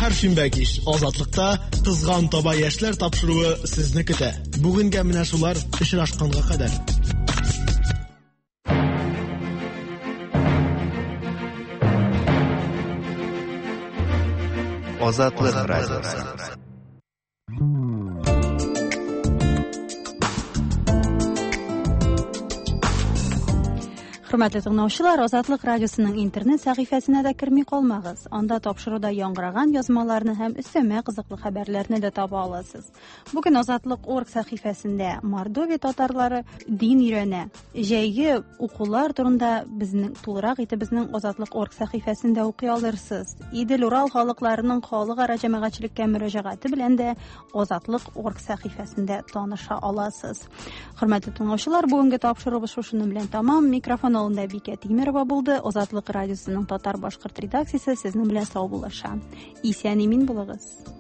Һәр шимбә кич Азатлыкта Кызган таба яшьләр тапшыруы сезне көтә. Бүгенгә менә шулар, очрашканга кадәр. Азатлык радиосы. Хөрмәтле тыңлаучылар, Азатлык радиосының интернет сәхифәсенә дә керми калмагыз. Анда тапшыруда яңгыраган язмаларны һәм өстәмә кызыклы хәбәрләрне дә таба аласыз. Бүген Азатлык орг сәхифәсендә Мордовия татарлары дин өйрәнә. Җәйге укулар турында безнең тулырак итеп безнең Азатлык орг сәхифәсендә укый алырсыз. Идел-Урал халыкларының халыкара җәмәгатьчелеккә мөрәҗәгате белән дә Азатлык орг сәхифәсендә таныша аласыз. Хөрмәтле тыңлаучылар, бүгенге тапшыруыбыз шушының белән тамам. Микрофон алдында Бикә Тимерова булды. Азатлык радиосының татар-башкорт редакциясе сезнең белән саубуллаша. Исән-имин булыгыз.